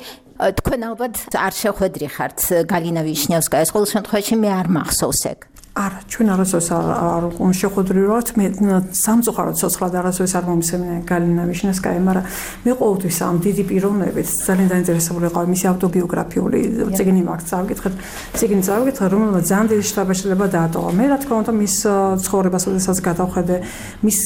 თქვენ ალბათ არ შეხვედრი ხართ გალინა ვიშნევსკაიას, ყოველ შემთხვევაში მე არ მახსოვს ეგ. არა, ჩვენ არასოდეს არ შეხვედრი ვართ, მე სამწუხაროდ ცოცხლად არასოდეს არ მომისმენია გალინა ვიშნევსკაია, მაგრამ მე ყოველთვის ამ დიდი პიროვნებით ძალიან დაინტერესებული ვიყავი მისი ავტობიოგრაფიული წიგნი მაქვს წავიკითხეთ, წიგნი წავიკითხე, რომელმაც ძალიან დიდი შთაბეჭდილება დაატოვა. მე რა თქმა უნდა მის ცხოვრებას, როდესაც გადავხედე, მის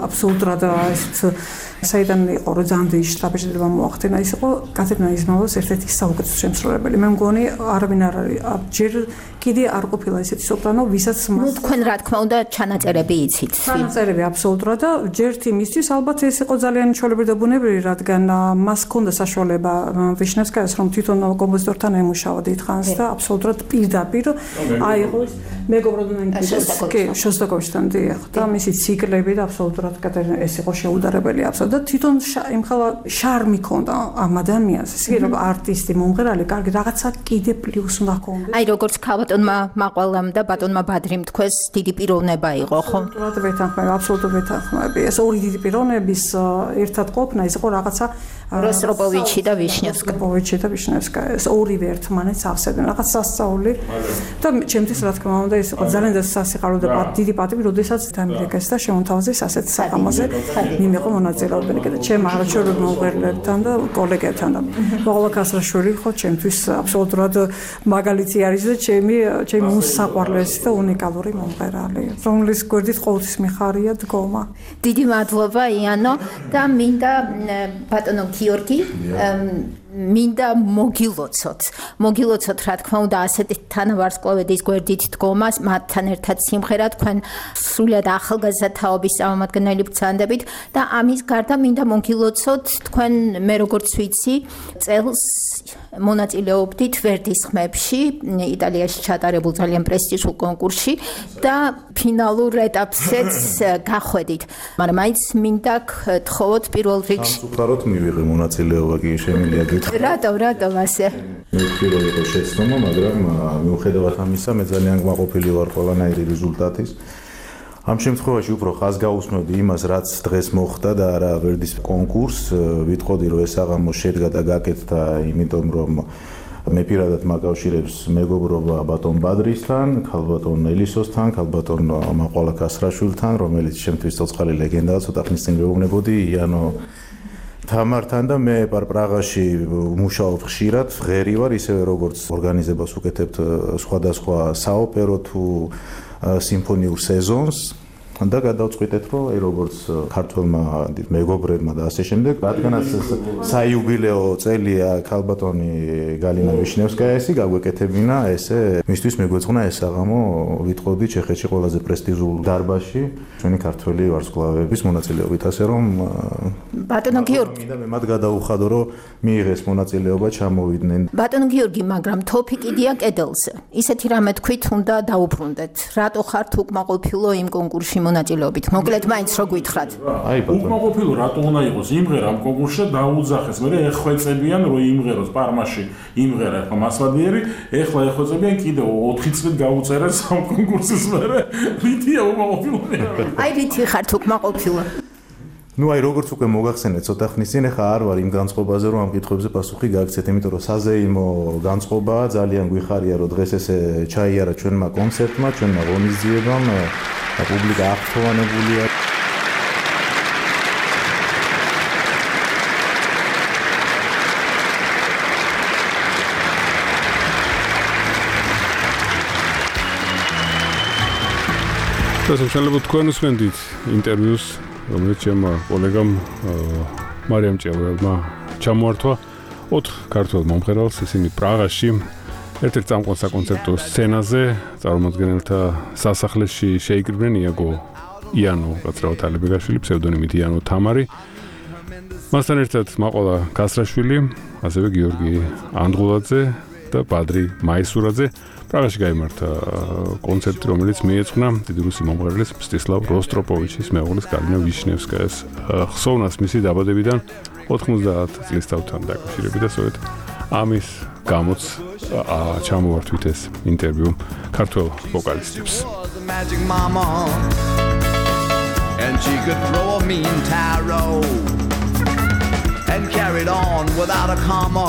აბსოლუტურად ესეთ საიდან იყო რომ ძალიან დიდი შთაბეჭდილება მოახდინა, ის იყო კათედრა იზმაილოს ერთ-ერთი საუკეთესო შემსრულებელი. მე მგონი არავინ არ არის ჯერ კიდე არ ყოფილა ესეთი სოპრანო, ვისაც თქვენ რა თქმა უნდა ჩანაწერები იცით. ჩანაწერები აბსოლუტურად და ჯერ იმისთვის ალბათ ეს იყო ძალიან ჩვეულებრივი და ბუნებრივი, რადგან მას ჰქონდა საშუალება ვიშნევსკაიას რომ თვითონ კომპოზიტორთან ემუშავა დიდხანს და აბსოლუტურად პირდაპირ აიღო მეგობრობდნენ შოსტაკოვიჩთან დიახ და მისი ციკლები და აბსოლუტურად ეს იყო შეუდარებელი აბსოლუტურად და თვითონ იმხელა შარმი ჰქონდა ამ ადამიანს, ისე რომ არტისტი, მომღერალი, კარგი რაღაცა კიდე პლუს უნდა ჰქონდეს. აი როგორც ბატონმა მაყვალამ და ბატონმა ბადრიმ თქვენს დიდი პიროვნება იყო, ხო? აბსოლუტურად ვეთანხმები. ეს ორი დიდი პიროვნების ერთად ყოფნა ის იყო რაღაცა როსტროპოვიჩი და ვიშნევსკაია. ეს ორივე ერთმანეთს ავსებდნენ, რაღაც სასწაული და ჩემთვის რა თქმა უნდა ეს იყო ძალიან სასიხარო და დიდი პატივი, როდესაც დამირეკეს და შემოთავაზეს ასეთ საღამოზე მიმეყო მონაწილეობები და ჩემ არაჩვეულებრივ მომღერლებთან და კოლეგებთან და მაღლა კასრაშვილი ხო ჩემთვის აბსოლუტურად მაგალითი არის და ჩემი უსაყვარლესი და უნიკალური მომღერალი, რომლის გვერდით ყოველთვის მიხარია დგომა. დიდი მადლობა იანო და მინდა ბატონო გიორგი მინდა მოგილოცოთ რა თქმა უნდა ასეთი თანავარსკვლავედის გვერდით დგომას, მათთან ერთად სიმღერა თქვენ სრულად ახალგაზრდა თაობის წარმომადგენელი ბრძანდებით და ამის გარდა მინდა მოგილოცოთ თქვენ მე როგორც ვიცი წელს მონაწილეობდით ვერდის ხმებში იტალიაში ჩატარებულ ძალიან პრესტიჟულ კონკურსში და ფინალურ ეტაპზეც გახვედით, მაგრამ მაინც მინდა გთხოვოთ პირველ რიგში უბრალოდ მივიღე მონაწილეობა კი შემიძლია გითხრათ. რატომ ასე? მეკითხილო იყო შეცდომა, მაგრამ მიუხედავად ამისა მე ძალიან გმაყოფილი ვარ ყველანაირი რეზულტატის. ამ შემთხვევაში უფრო ხაზგაუსმევდი იმას, რაც დღეს მოხდა და არა ვერდის კონკურსს. ვიტყოდი რომ ეს აღამო შედგა და გაკეთდა, იმიტომ რომ მე პირადად მაკავშირებს მეგობრობა ბატონ ბადრისთან, ქალბატონ ელისოსთან, ქალბატონ მაყვალა კასრაშვილთან, რომელიც შემთთვის ცოცხალი ლეგენდაა, ცოტა ხნის წინ მეუბნებოდი იანო თამართან და მე პრაღაში მუშაობ ხშირად, ღერი ვარ, ისევე როგორც ორგანიზებას უკეთებთ სხვადასხვა საოპერო თუ სიმფონიურ სეზონს და გადავწყვიტეთ, რომ როგორც ქართველმა მეგობრებმა და ასე შემდეგ, რადგანაც საიუბილეო წელია ქალბატონი გალინა ვიშნევსკაიასი გაგვეკეთებინა, ესე მისთვის მეგვეწყნა ეს საღამო, ვიტყოდი ჩეხეთში ყველაზე პრესტიჟულ დარბაზში ჩვენი ქართველი ვარსკვლავების მონაწილეობით, ასე რომ ბატონო გიორგი მე მათ გადაუხადო, რომ მიიღეს მონაწილეობა, ჩამოვიდნენ. ბატონო გიორგი, მაგრამ თოფი კიდია კედელზე. ისეთი რამე თქვით უნდა დაუბრუნდეთ. რატო ხართ უკმაყოფილო იმ კონკურსში მონაწილეობით? მოკლედ მაინც რო გითხრათ. უკმაყოფილო რატო უნდა იყოს? იმღერა ამ კონკურსში დაუძახეს, მე ეხვეწებიან რომ იმღეროს პარმაში, იმღერა ახლა მასვადიერი, ეხლა ეხვეწებიან კიდევ 4 წელი გაუწერეს ამ კონკურსის მერე. რითია უკმაყოფილო? აი რითი ხართ უკმაყოფილო? ნუ აი როგორც უკვე მოგახსენეთ ცოტა ხნის წინ, ახლა არ ვარ იმ განწყობაზე, რომ ამ კითხვებზე პასუხი გააგცეთ, იმიტომ რომ საზეიმო განწყობაა, ძალიან გვიხარია, რომ დღეს ესე ჩაიარა ჩვენმა კონცერტმა, ჩვენმა ღონისძიებამ, პუბლიკა აღფრთოვანებულია. შესაძლოა თქვენ უსმენთ ინტერვიუს, რომელიც ჩემმა კოლეგამ მარიამ ჭეველმა ჩამოართვა 4 ქართველ მომღერალს, ისინი პრაღაში ერთ-ერთ წამყვან საკონცერტო სცენაზე წარმოადგენელთა სასახლეში შეიკრიბნენ იანო კაცრავად ალიბეგაშვილი, ფსევდონიმით იანო თამარი მასთან ერთად მაყოლა კასრაშვილი, ასევე გიორგი ანდღულაძე და ბადრი მაისურაძე. პრაღაში გაიმართა კონცერტი, რომელიც მიეძღვნა დიდი რუსი მომღერლის მსტისლავ როსტროპოვიჩის მეუღლის გალინა ვიშნევსკაის ხსოვნას მისი დაბადებიდან 90 წლის თავთან დაკავშირებით და სწორედ ამის გამოც ჩამოვართვით ეს ინტერვიუ ქართველ ვოკალისტებს. And she could throw a mean tarot and carried on without a comma.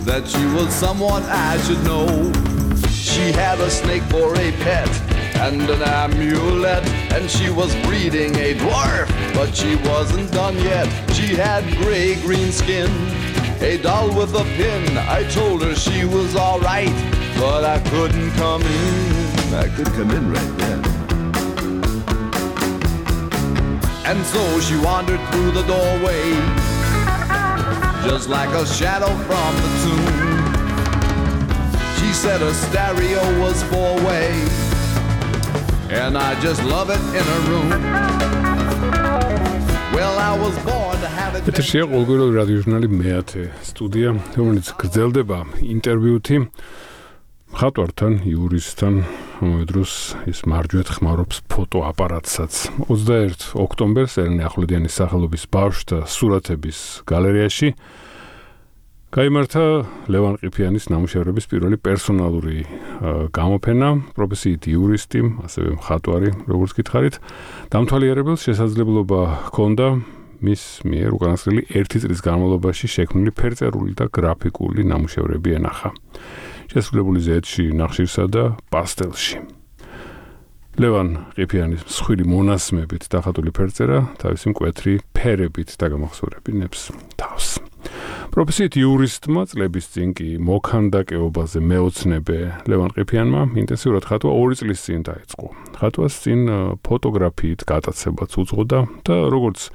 That she was someone I should know. She had a snake for a pet and an amulet, and she was breeding a dwarf, but she wasn't done yet. She had gray-green skin, a doll with a pin. I told her she was all right, but I couldn't come in. I could come in right then. And so she wandered through the doorway, just like a shadow from the tomb. She said her stereo was four-way, and I just love it in her room. Well, I was born to have it. ეთერშია ყოველგვარი რადიო ჟურნალი მეათე სტუდია, რომელიც გრძელდება ინტერვიუთი მხატვართან, იურისტთან, ამავდროს ის მარჯვეთ ხმარობს ფოტოაპარატსაც. 21 ოქტომბერს ელენე ახვლედიანის სახელობის ბავშვთა სურათების გალერეაში გაიმართა ლევან ყიფიანის ნამუშევრების პირველი პერსონალური გამოფენა, პროფესიით იურისტი, ასევე მხატვარი, როგორც გითხარით. დამთვალიერებელს შესაძლებლობა ჰქონდა მის მიერ უკანასკნელი 1 წლის განმავლობაში შექმნილი ფერწერული და გრაფიკული ნამუშევრები ენახა. შესრულებული ზეთში, ნახშირსა და პასტელში. ლევან ყიფიანის მსხვილი მონასმებით დახატული ფერწერა თავისი მკვეთრი ფერებით დაგამახსოვრებინებს თავს. პროფესიით იურისტმა წლების წინ კი მოქანდაკეობაზე მეოცნებე ლევან ყიფიანმა ინტენსიურად ხატვა 2 წლის წინ დაიწყო. ხატვას წინ ფოტოგრაფიით გატაცებაც უძღოდა და როგორც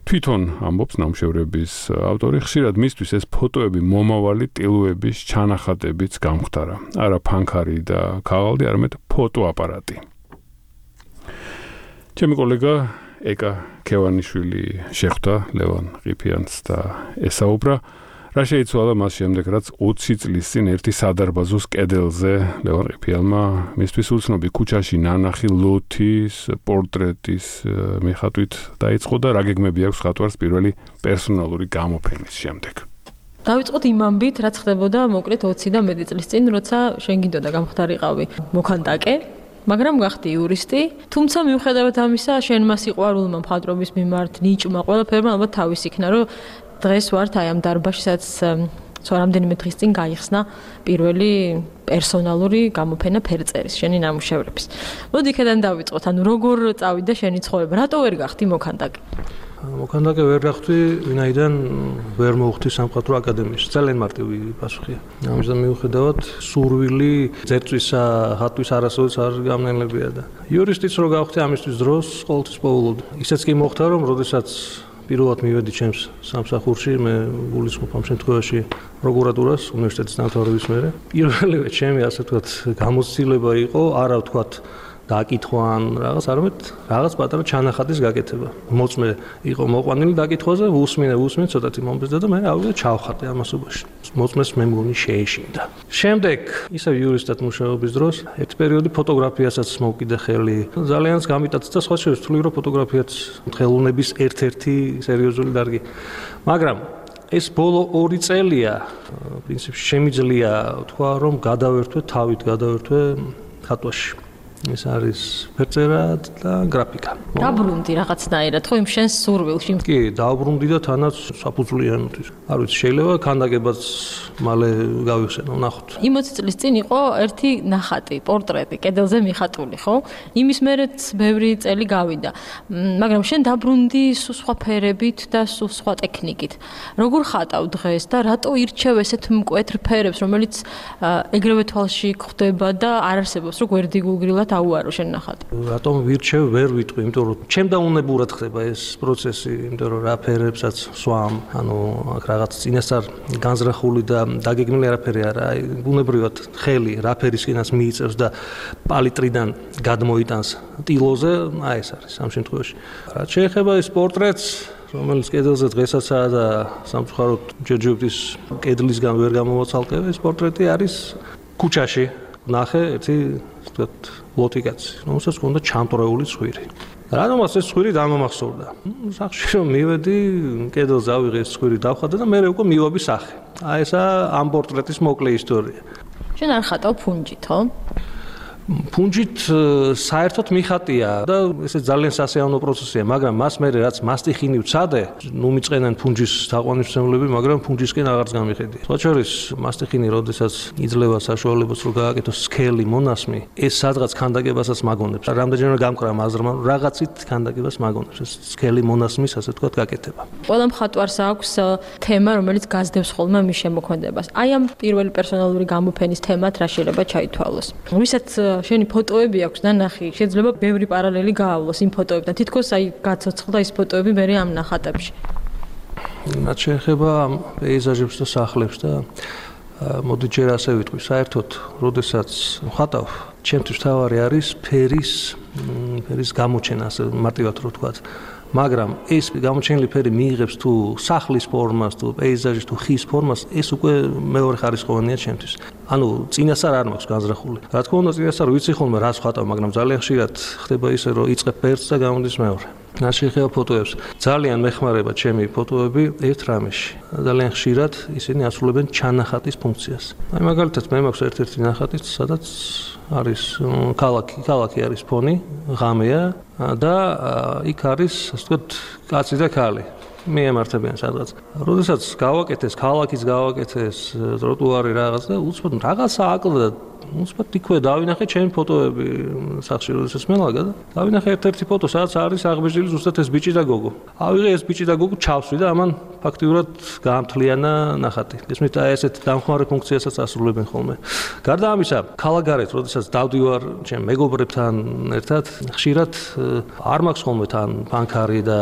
თვითონ ამბობს ნამუშევრების ავტორი, ხშირად მისთვის ეს ფოტოები მომავალი ტილოების ჩანახატებიც გამხდარა. არა ფანქარი და ქაღალდი, არამედ ფოტოაპარატი. ჩემი კოლეგა ეკა ქევანიშვილი შეხვდა ლევან ყიფიანს და ესაუბრა, რა შეიცვალა მას შემდეგ, რაც 20 წლის წინ ერთი სადარბაზოს კედელზე ლევან ყიფიანმა მისთვის უცნობი ქუჩაში ნანახი ლოთის პორტრეტის მიხატვით დაიწყო და რა გეგმები აქვს ხატვარს პირველი პერსონალური გამოფენის შემდეგ. დავიწყოთ იმ ამბით, რაც ხდებოდა მოკლედ 20 და მეტი წლის წინ, როცა შენ გინდოდა გამხდარიყავი მოქანდაკე, მაგრამ გახდი იურისტი, თუმცა მიუხედავად ამისა, შენ მას სიყვარულმა მხატვრობის მიმართ, ნიჭმა, ყველაფერმა ალბათ თავის იქნა, რომ დღეს ვართ აი ამ დარბაზში, სადაც რამდენიმე დღის წინ გაიხსნა პირველი პერსონალური გამოფენა ფერწერის, შენი ნამუშევრების. მოდი იქედან დავიწყოთ, ანუ როგორ წავიდა შენი ცხოვრება, რატო ვერ გახდი მოქანდაკე? მოქანდაკე ვერ გახდი, ვინაიდან ვერ მოვხდი სამხატვრო აკადემიაში. ძალიან მარტივი პასუხია. ამიტომ მიუხედავად სურვილი ძერწვისა, ხატვის არასოდეს არ გამნელებია და იურისტიც რო გავხდი ამისთვის დროს ყოველთვის პოულობდი. ისეც კი მოხდა, რომ როდესაც პირველად მივედი ჩემს სამსახურში, მე გულისხმობ ამ შემთხვევაში პროკურატურას, უნივერსიტეტის დამთავრების მერე. პირველივე ჩემი ასე ვთქვათ გამოცდილება იყო, არა ვთქვათ დაკითხვა ან რაღაც, არამედ რაღაც პატარა ჩანახატის გაკეთება. მოწმე იყო მოყვანილი დაკითხვაზე, უსმინე, ცოტათი მომბეზდა და მე ავიდე ჩავხატე ამასობაში. მოწმეს მე მგონი შეეშინდა. შემდეგ ისევ იურისტად მუშაობის დროს ერთ პერიოდი ფოტოგრაფიასაც მოვკიდე ხელი. ძალიანაც გამიტაცდა სხვა შორის თვლი რომ ფოტოგრაფიაც ხელოვნების ერთ-ერთი სერიოზული დარგი. მაგრამ ეს ბოლო 2 წელია პრინციპში შემიძლია თქვა რომ გადავერთვე თავით ხატვაში. ეს არის ფერწერა და გრაფიკა. დაბრუნდი რაღაცნაირად, ხო იმ შენს სურვილში? კი, დაბრუნდი და თანაც საფუძვლიანად. არ ვიცი, შეიძლება ქანდაკებაც მალე გავიხსენო, ნახოთ. 20 წლის წინ იყო ერთი ნახატი, პორტრეტი, კედელზე მიხატული, ხო? იმის მერეც ბევრი წელი გავიდა. მაგრამ შენ დაბრუნდი სხვა ფერებით და სხვა ტექნიკით. როგორ ხატავ დღეს და რატო ირჩევ ესეთ მკვეთრ ფერებს, რომელიც ეგრევე თვალში გვხვდება და არ არსებობს, რომ გვერდიგულგრილად ნამდვილად აუარო შენ ნახატი. რატომ ვირჩევ ვერ ვიტყვი, იმიტომ რომ ჩემ დაუნებურად ხდება ეს პროცესი, იმიტომ რომ რა ფერებსაც სვამ, ანუ აქ რაღაც წინასწარ განზრახული და დაგეგმილი არაფერი არა, აი ბუნებრივად ხელი რა ფერისკენაც მიიწევს და პალიტრიდან გადმოიტანს ტილოზე, აი ეს არის ამ შემთხვევაში. რაც შეეხება ეს პორტრეტს, რომელიც კედელზე დღესაც და სამწუხაროდ ჯერჯერობით კედლისგან ვერ გამოვაცალკევ, ეს პორტრეტი არის ქუჩაში. ნახე ერთი ვთქვათ ლოტიკაცი, რომელსაც ჰქონდა ჩამტვრეული ცხვირი. რადგანაც ეს ცხვირი დამამახსოვრდა. სახში რომ მივედი, კედელზე ავიღე ეს ცხვირი დავხატე და მე უკვე მივაბი სახე. აი ესა ამ პორტრეტის მოკლე ისტორია. შენ არ ხატავ ფუნჯით, ხო? ფუნჯით საერთოდ მიხატია და ესე ძალიან სასიამოვნო პროცესია, მაგრამ მას მე რაც მასტიხინი ვცადე, ნუ მიწყენენ ფუნჯის თაყვანისმცემლები, მაგრამ ფუნჯისკენ აღარც გამიხედი. სხვა შორის მასტიხინი, როდესაც იძლევა საშუალებას რომ გააკეთოს სქელი მონასმი, ეს სადღაც ქანდაკებასაც მაგონებს. რამდენჯერმე გამკრა მაზრმა, რაღაცით ქანდაკებას მაგონებს ეს სქელი მონასმის, ასე ვთქვათ, გაკეთება. ყველა მხატვარს აქვს თემა, რომელიც გაზდებს ხოლმე მის შემოქმედებას. აი ამ პირველი პერსონალური გამოფენის თემად რა შეიძლება ჩაითვალოს. ვისაც შენი ფოტოები აქვს და ნახი, შეიძლება ბევრი პარალელი გაავლოს იმ ფოტოებთან. თითქოს აი გაცოცხლდა ის ფოტოები მე ამ ნახატებში. რაც შეეხება ამ პეიზაჟებს და სახლებს და მოდი ჯერ ასე ვიტყვი, საერთოდ, როდესაც ვხატავ, ჩემთვის თავარი არის ფერის გამოჩენა, ასე მარტივად რო ვთქვათ. მაგრამ ეს გამოჩენილი ფერი მიიღებს თუ სახლის ფორმას, თუ პეიზაჟის, თუ ხის ფორმას, ეს უკვე მეორე ხარისხოვანია ჩემთვის. ანუ წინასწარ არ მაქვს განზრახული. რა თქმა უნდა, წინასწარ ვიცი ხოლმე რას ვხატავ, მაგრამ ძალიან ხშირად ხდება ისე, რომ იწყებ ფერს და გამოდის მეორე. რაც შეეხება ფოტოებს, ძალიან მეხმარება ჩემი ფოტოები ერთ რამეში. ძალიან ხშირად ისინი ასრულებენ ჩანახატის ფუნქციას. აი მაგალითად, მე მაქვს ერთ-ერთი ნახატი, სადაც არის ქალაქი არის ფონი, ღამეა და იქ არის, ასე ვთქვათ, კაცი და ქალი. მიემართებიან სადღაც. როდესაც გავაკეთეს ქალაქის გავაკეთეს ტროტუარი რაღაც და უცბად რაღაცა აკლდა უცბად იქვე დავინახე ჩემი ფოტოები სახში როდესაც მელაგა და დავინახე ერთ-ერთი ფოტო სადაც არის აღბეჭდილი ზუსტად ეს ბიჭი და გოგო. ავიღე ეს ბიჭი და გოგო ჩავსვი და ამან ფაქტიურად გაამთლიანა ნახატი. ესმით აი ესეთ დამხმარე ფუნქციასაც ასრულებენ ხოლმე. გარდა ამისა, ქალაქგარეთ როდესაც დავდივარ ჩემ მეგობრებთან ერთად, ხშირად არ მაქვს ხოლმე თან ფანქარი და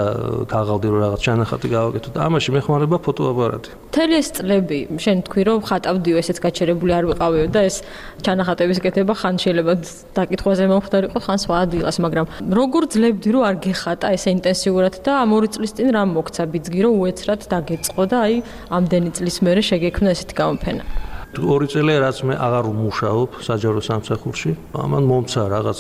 ქაღალდი რო რაღაც ჩანახატი გავაკეთო და ამაში მეხმარება ფოტოაპარატი. მთელი ეს წლები შენ თქვი რომ ხატავდიო, ესეც გაჩერებული არ ვიყავიო და ეს ჩანახატების კეთება ხან შეიძლება დაკითხვაზე მომხდარიყო, ხან სხვა ადგილას, მაგრამ როგორ ძლებდი რომ არ გეხატა ესე ინტენსიურად და ამ 2 წლის წინ რა მოგცა ბიძგი რომ უეცრად დაგეწყო და აი ამდენი წლის მერე შეგექმნა ესეთი გამოფენა. 2 წელი რაც მე აღარ ვმუშაობ საჯარო სამსახურში, ამან მომცა რაღაც,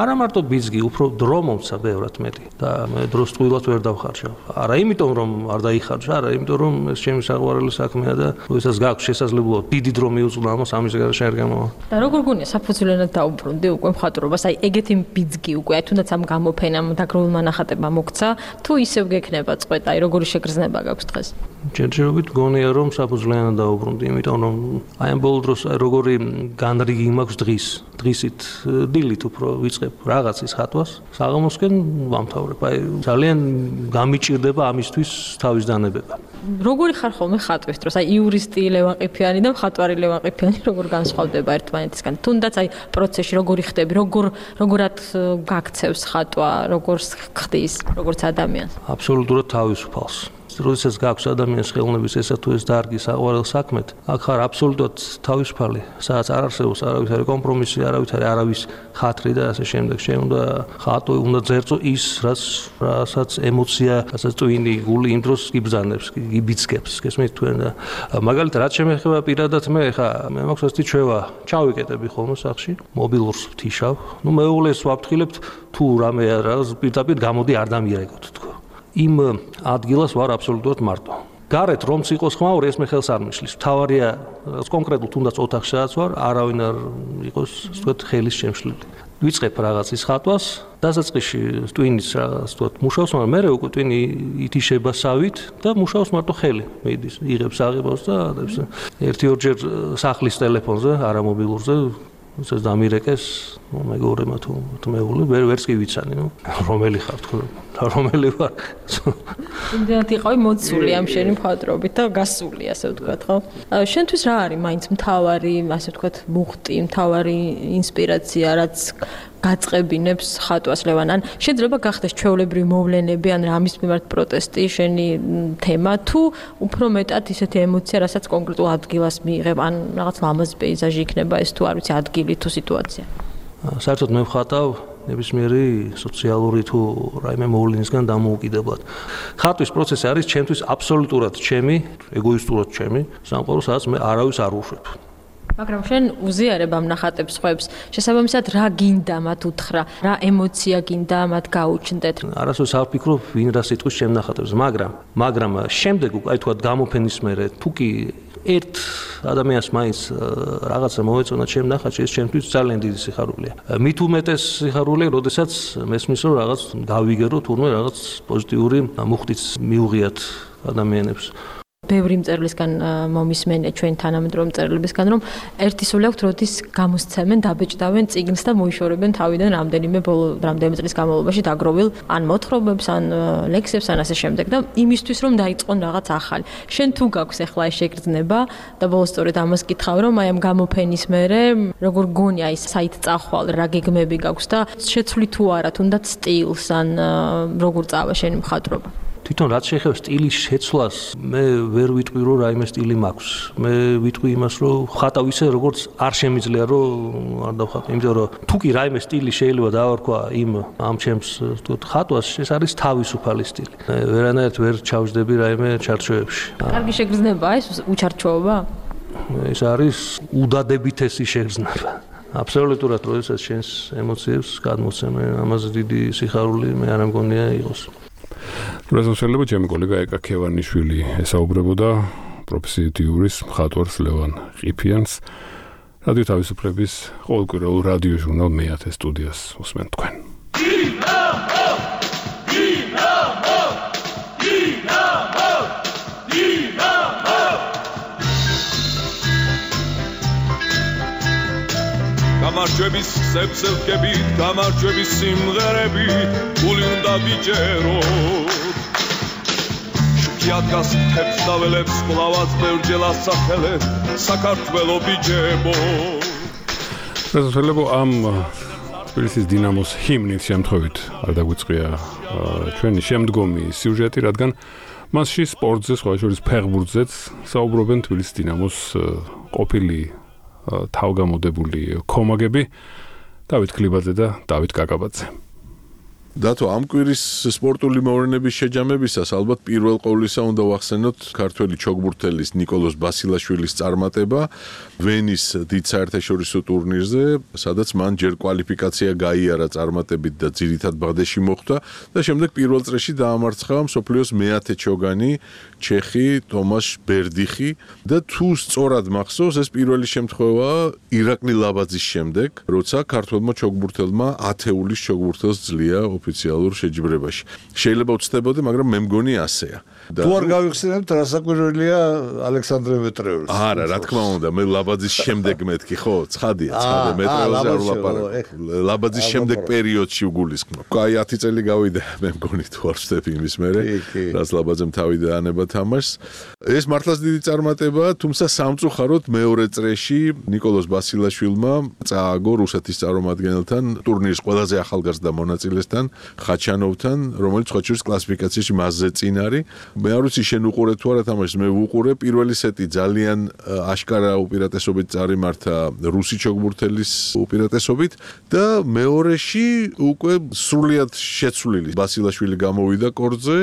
არა მარტო ბიძგი, უფრო დრო მომცა ბევრად მეტი და მე დროს ტყუილად ვერ დავხარჯავ. არა იმიტომ რომ არ დაიხარჯა, არა იმიტომ რომ ეს ჩემი საყვარელი საქმეა და როდესაც გაქვს შესაძლებლობა დიდი დრო მიუძღვნა ამას, ამის გარშე არ გამოვა. და როგორ გონია საფუძვლიანად დაუბრუნდი უკვე მხატვრობას, აი ეგეთი ბიძგი უკვე, აი თუნდაც ამ გამოფენამ დაგროვილმა ნახატებმა მოგცა, თუ ისევ გექნება წყვეტა, აი როგორი შეგრძნება გაქვს დღეს? ჯერჯერობით გონია რომ საფუძვლიანად დაუბრუნდი, იმიტომ რომ აი ამ ბოლო დროს როგორი განრიგი მაქვს დღისით დილით უფრო ვიწყებ რაღაცის ხატვას, საღამოსკენ ვამთავრებ. აი ძალიან გამიჭირდება ამისთვის თავის დანებება. როგორი ხარ ხოლმე ხატვის დროს? აი იურისტი ლევან ყიფიანი და მხატვარი ლევან ყიფიანი როგორ განსხვავდება ერთმანეთისგან? თუნდაც აი პროცესში როგორი ხდები, როგორად გაქცევს ხატვა, როგორს ხდის, როგორც ადამიანს? აბსოლუტურად თავისუფალს. როდესაც გაქვს ადამიანის ხელოვნების ესა თუ ეს დარგი საყვარელ საქმეთ, აქ ხარ აბსოლუტურად თავისუფალი, სადაც არ არსებობს არავითარი კომპრომისი, არავის ხათრი და ასე შემდეგ. შენ უნდა ხატო, უნდა ძერწო ის, რასაც ემოცია, რასაც ტვინი, გული იმ დროს იბრძანებს, იბიძგებს, გესმით თქვენ და მაგალითად რაც შემეხება პირადად მე მაქვს ასეთი ჩვევა, ჩავიკეტები ხოლმე სახში, მობილურს ვთიშავ, ნუ მეუღლეს ვაფრთხილებთ თუ რამე პირდაპირ გამოდი არ დამიერეგოთ თქო. იმ ადგილას ვარ აბსოლუტურად მარტო. გარეთ რომც იყოს ხმაური, ეს მე ხელს არ მიშლის. თავარია კონკრეტულ თუნდაც ოთახშიც ვარ, არავინ არ იყოს, ასე ვთქვათ, ხელის შემშლელი. ვიწყებ რაღაცის ხატვას, დასაწყისში ტვინის რაღაც ვთქვათ, მუშაობს, მაგრამ მე უკვე ტვინი ითიშება სავით და მუშაობს მარტო ხელი. მიდის, იღებს აღებას და ერთი-ორჯერ სახლის ტელეფონზე, არა მობილურზე ეს დამირეკეს მეგობრებმა თუ მეუღლე ვერც კი ვიცანი, ნუ რომელი ხარ თქო რომელი ვარ. იმდენად იყავი მოცული ამ შენი მხატვრობით და გასული, ასე ვთქვათ, ხო? შენთვის რა არის მაინც მთავარი, ასე ვთქვათ, მუხტი, მთავარი ინსპირაცია, რაც გაწყებინებს ხატვას ლევან ან შეიძლება გახდეს ჩვეულებრივი მოვლენები ან რამის მიმართ პროტესტი შენი თემა თუ უფრო მეტად ისეთი ემოცია რასაც კონკრეტულ ადგილას მიიღებ ან რაღაც ლამაზი პეიზაჟი იქნება ეს თუ არ ვიცი ადგილი თუ სიტუაცია საერთოდ მე ვხატავ ნებისმიერი სოციალური თუ რაიმე მოვლენისგან დამოუკიდებლად. ხატვის პროცესი არის ჩემთვის აბსოლუტურად ჩემი, ეგოისტურად ჩემი, სამყარო, სადაც მე არავის არ უშვებ. მაგრამ შენ უზიარებ ამ ნახატებს ხვებს, შესაბამისად რა გინდა მათ უთხრა, რა ემოცია გინდა მათ გაუჩნდეთ. არასდროს არ ვფიქრობ ვინ რა სიტყვის ჩემ ნახატებს, მაგრამ შემდეგ აი თქვა გამოფენის მერე თუ კი ერთ ადამიანს მაინც რაღაცა მოეწონა ჩემ ნახატში, ეს ჩემთვის ძალიან დიდი სიხარულია. მით უმეტეს სიხარულია, როდესაც მესმის რომ რაღაც გავიგერო თურმე რაღაც პოზიტიური მუხტიც მიუღიათ ადამიანებს. ბევრი მწერლისგან მომისმენია ჩვენ თანამედროვე მწერლებისგან რომ ერთი სული აქვთ როდის გამოსცემენ დაბეჭდავენ წიგნს და მოიშორებენ თავიდან რამდენიმე წლის განმავლობაში დაგროვილ ან მოთხრობებს ან ლექსებს ან ასე შემდეგ და იმისთვის რომ დაიწყონ რაღაც ახალი შენ თუ გაქვს ახლა ეს შეგრძნება და ბოლოს სწორედ ამას კითხავ რომ აი ამ გამოფენის მერე როგორ გონია ის საით წახვალ რა გეგმები გაქვს და შეცვლი თუ არა თუნდაც სტილს ან როგორ წავა შენი მხატვრობა თვითონ რაც შეეხება სტილის შეცვლას, მე ვერ ვიტყვი რომ რაიმე სტილი მაქვს. მე ვიტყვი იმას რომ ხატავ ისე როგორც არ შემიძლია რომ არ დავხატო, იმიტომ რომ თუ კი რაიმე სტილი შეიძლება დავარქვა ამ ჩემს ხატვას, ეს არის თავისუფალი სტილი. ვერანაირად ვერ ჩავждები რაიმე ჩარჩოებში. კარგი შეგრძნება ეს უჩარჩოობა? ეს არის უდადებითესი შეგრძნება. აბსოლუტურად როდესაც შენს ემოციებს გადმოცემენ, ამაზე დიდი სიხარული მე არ მგონია იყოს. რეზოლუცია ჩემი კოლეგა ეკა ქევანიშვილი ესაუბრებოდა პროფესიით იურის მხატვარს ლევან ყიფიანს რადიო თავისუფლების ყოველკვირეულ რადიო ჟურნალ მე-10 სტუდიას უსმენთ თქვენ. გამარჯვების სებსელკებით, გამარჯვების სიმღერებით, გული უნდა ვიჯეროთ. შუქიადგას თებს დაველებს, ყლავაც ბევრჯერ ასახელებ, საქართველო ბიჯებო. რეზოლუცია ამ თბილისის დინამოს ჰიმნით შემთხვევით არ დაგვიწყია ჩვენი შემდგომი სიუჟეტი, რადგან მასში სპორტზე, სხვა შორის ფეხბურთზეც საუბრობენ თბილისის დინამოს ყოფილი თავგამოდებული კომაგები დავით ქლიბაძე და დავით კაკაბაძე. დათო ამ კვირის სპორტული მოვლენების შეჯამებისას ალბათ პირველ ყოვლისა უნდა ვახსენოთ ქართველი ჩოგბურთელის ნიკოლოზ ბასილაშვილის წარმატება ვენის დიდ საერთაშორისო ტურნირზე, სადაც მან ჯერ კვალიფიკაცია გაიარა წარმატებით და ძირითად ბაღდეში მოხვდა და შემდეგ პირველ წრეში დაამარცხა მსოფლიოს მე-10 ჩოგანი ჩეხი თომაშ ბერდიხი და თუ სწორად მახსოვს ეს პირველი შემთხვევაა ირაკლი ლაბაძის შემდეგ, როცა ქართველმა ჩოგბურთელმა ათეულის ჩოგბურთელს ძლია ოფიციალურ შეჯიბრებაში. შეიძლება უცდებოდე, მაგრამ მე მგონი ასეა. თუ არ გავიხსენებთ, რა საკვირველია ალექსანდრე მეტრეველს. არა, რა თქმა უნდა, მე ლაბაძის შემდეგ მეთქი, ხო? ცხადია, მეტრეველზე არ ვლაპარაკობ. ლაბაძის შემდეგ პერიოდში ვგულისხმობ. აი 10 წელი გავიდა, მე მგონი თუ არ ვწდები იმის მერე, რაც ლაბაძემ თავი დაანება თამაშს. ეს მართლაც დიდი წარმატებაა, თუმცა სამწუხაროდ მეორე წრეში ნიკოლოზ ბასილაშვილმა წააგო რუსეთის წარმომადგენელთან ტურნირის ყველაზე ახალგაზრდა მონაწილესთან ხაჩანოვთან, რომელიც სხვა შორის კლასიფიკაციაში მასზე წინ არის. მე არ ვიცი შენ უყურე თუ არა თამაშს, მე ვუყურე. პირველი სეტი ძალიან აშკარა უპირატესობით წარიმართა რუსი ჩოგბურთელის უპირატესობით და მეორეში უკვე სრულიად შეცვლილი ბასილაშვილი გამოვიდა კორტზე,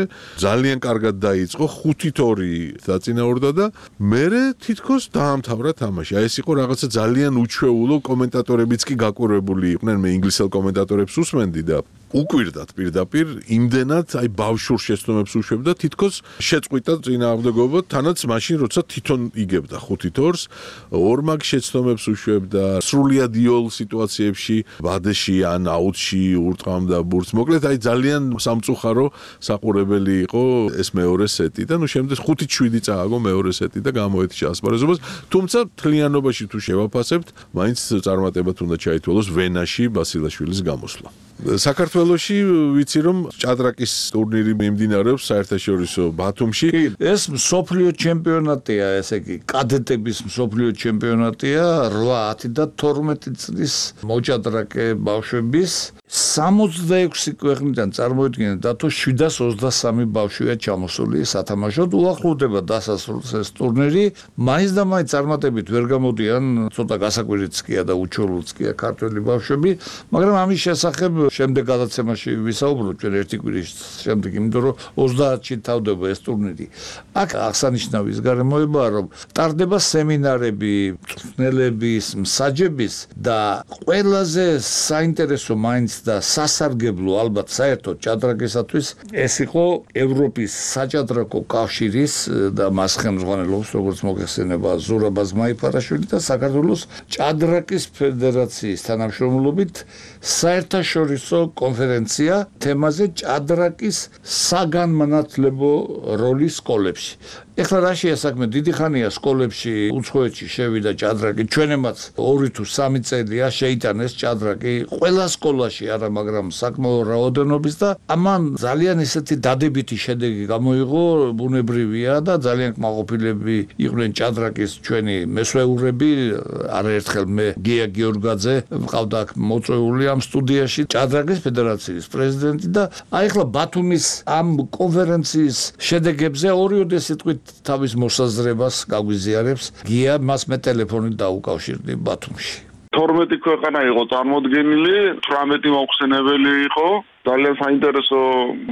ძალიან კარგად დაიწყო 5-2 დაწინაურდა და მერე თითქოს დაამთავრა თამაში. აი ეს იყო რაღაცა ძალიან უჩვეულო, კომენტატორებიც კი გაკვირვებული იყვნენ, მე ინგლისელ კომენტატორებს უსმენდი და უკვირდათ პირდაპირ იმდენად აი ბავშვურ შეცდომებს უშვებდა თითქოს შეწყვიტა წინააღმდეგობა თანაც მაშინ როცა თვითონ იგებდა 5-2-ს ორმაგ შეცდომებს უშვებდა სრულიად იოლ სიტუაციებში ვადეში ან აუტში ურტყამდა ბურთს მოკლედ აი ძალიან სამწუხარო საყურებელი იყო ეს მეორე სეტი და ნუ შემდეგ 5-7 წააგო მეორე სეტი და გამოეთიშა ასპარეზობას თუმცა თლიანობაში თუ შევაფასებთ მაინც წარმატებად უნდა ჩაითვალოს ვენაში ბასილაშვილის გამოსვლა საქართველოში ვიცი რომ ჭადრაკის ტურნირი მიმდინარეობს საერთაშორისო ბათუმში. ეს მსოფლიო ჩემპიონატია, ესე იგი, კადეტების მსოფლიო ჩემპიონატია 8 და 12 წლის მოჭადრაკე ბავშვების 66 ქვეყნიდან წარმოიდგინეთ დათო 723 ბავშვია ჩამოსული სათამაშოდ. უახლოვდება დასასრულს ეს ტურნირი. მაინც და მაინც წარმატებით ვერ გამოდიან, ცოტა გასაკვირიც კია და უჩვეულოც კია ქართველი ბავშვები, მაგრამ ამის შესახებ შემდეგ გადაცემაში ვისაუბროთ ჩვენ ერთი კვირის შემდეგ, იმიტომ რომ 30-ში თავდება ეს ტურნირი. აქ აღსანიშნავი ის გარემოებაა, რომ ტარდება სემინარები, მწვრთნელების, მსაჯების და ყველაზე საინტერესო მაინც და სასარგებლო ალბათ საერთოდ ჭადრაკისათვის ეს იყო ევროპის საჭადრაკო კავშირის და მას ხელმძღვანელობს როგორც მოგეხსენება ზურაბ აზმაიფარაშვილი და საქართველოს ჭადრაკის ფედერაციის თანამშრომლობით საერთაშორისო კონფერენცია თემაზე ჭადრაკის საგანმანათლებლო როლი სკოლებში. ეხლა რა შეასაქმე დიდი ხანია სკოლებში უცხოეთში შევიდა ჭადრაკი, ჩვენემაც 2 თუ 3 წელია შეიტანეს ჭადრაკი ყველა სკოლაში არა, მაგრამ საკმაო რაოდენობის და ამან ძალიან ისეთი დადებითი შედეგი გამოიღო, ბუნებრივია და ძალიან კმაყოფილები იყვნენ ჭადრაკის ჩვენი მესვეურები, არაერთხელ მე გია გიორგაძე მყავდა აქ მოწვეული ამ სტუდიაში, ჭადრაკის ფედერაციის პრეზიდენტი და აი ახლა ბათუმის ამ კონფერენციის შედეგებზე ორიოდე სიტყვით თავის მოსაზრებას გაგვიზიარებს. გია მას მე ტელეფონით დაუკავშირდი ბათუმში. 12 ქვეყანა იყო წარმოდგენილი, 18 მოხსენებელი იყო. ძალიან საინტერესო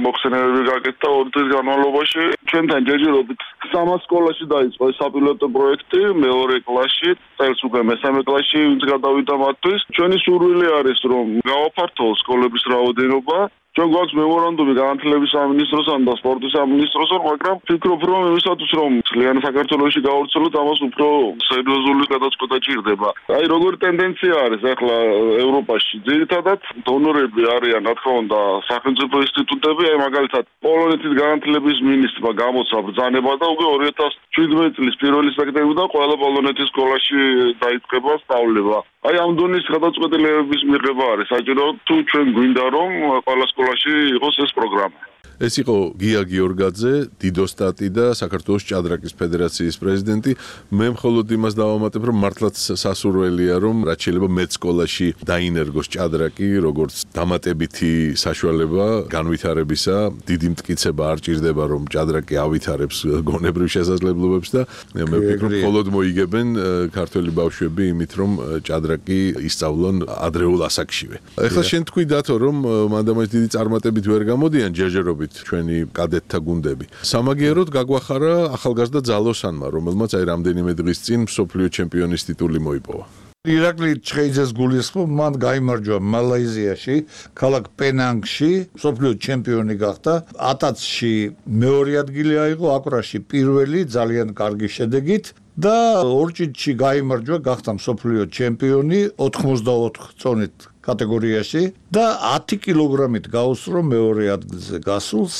მოხსენებები გაკეთდა 2 წლის განმავლობაში. ჩვენთან ჯერჯერობით 3 სკოლაში დაიწყო ეს საპილოტო პროექტი, მეორე კლასში, წელს უკვე მესამე კლასში ვინც გადავიდა მათთვის. ჩვენი სურვილი არის რომ გავაფართოვოთ სკოლების რაოდენობა. ჩვენ გვაქვს მემორანდუმი განათლების სამინისტროსთან და სპორტის სამინისტროსთან, მაგრამ ვფიქრობ რომ იმისათვის რომ ძალიან საქართველოში გავავრცელოთ, ამას უფრო სერიოზული გადაწყვეტა ჭირდება. აი როგორი ტენდენცია არის ახლა ევროპაში, ძირითადად დონორები არიან, რა თქმა უნდა, სახელმწიფო ინსტიტუტები, აი მაგალითად პოლონეთის განათლების მინისტრმა გამოცა ბრძანება და უკვე 2017 წლის 1 სექტემბრიდან ყველა პოლონეთის სკოლაში დაიწყება სწავლება. აი ამ დონის გადაწყვეტილებების მიღება არის საჭირო, თუ ჩვენ გვინდა რომ ყველა სკოლაში იყოს ეს პროგრამა. ეს იყო გია გიორგაძე, დიდოსტატი და საქართველოს ჭადრაკის ფედერაციის პრეზიდენტი. მე მხოლოდ იმას დავამატებ, რომ მართლაც სასურველია, რომ რაც შეიძლება მეც სკოლაში დაინერგოს ჭადრაკი, როგორც დამატებითი საშუალება განვითარებისა. დიდი მტკიცება არ ჭირდება, რომ ჭადრაკი ავითარებს გონებრივ შესაძლებლობებს და მე ვფიქრობ, მხოლოდ მოიგებენ ქართველი ბავშვები იმით, რომ ჭადრაკი ისწავლონ ადრეულ ასაკშივე. ეხლა შენ თქვი დათო, რომ მანდამაც დიდი წარმატებით ვერ გამოდიან ჯერჯერობით ჩვენი კადეტთა გუნდები. სამაგიეროდ გაგვახარა ახალგაზრდა ძალოსანმა, რომელმაც აი რამდენიმე დღის წინ მსოფლიო ჩემპიონის ტიტული მოიპოვა. ირაკლი ჩხეიძეს გულისხმობ, მან გაიმარჯვა მალაიზიაში, ქალაქ პენანგში, მსოფლიო ჩემპიონი გახდა. ატაცში მეორე ადგილი აიღო, აკვრაში პირველი, ძალიან კარგი შედეგით. და ორჭიდში გაიმარჯვა, გახდა მსოფლიო ჩემპიონი 84 წონით კატეგორიაში და 10 კილოგრამით გაუსწრო მეორე ადგილზე გასულს.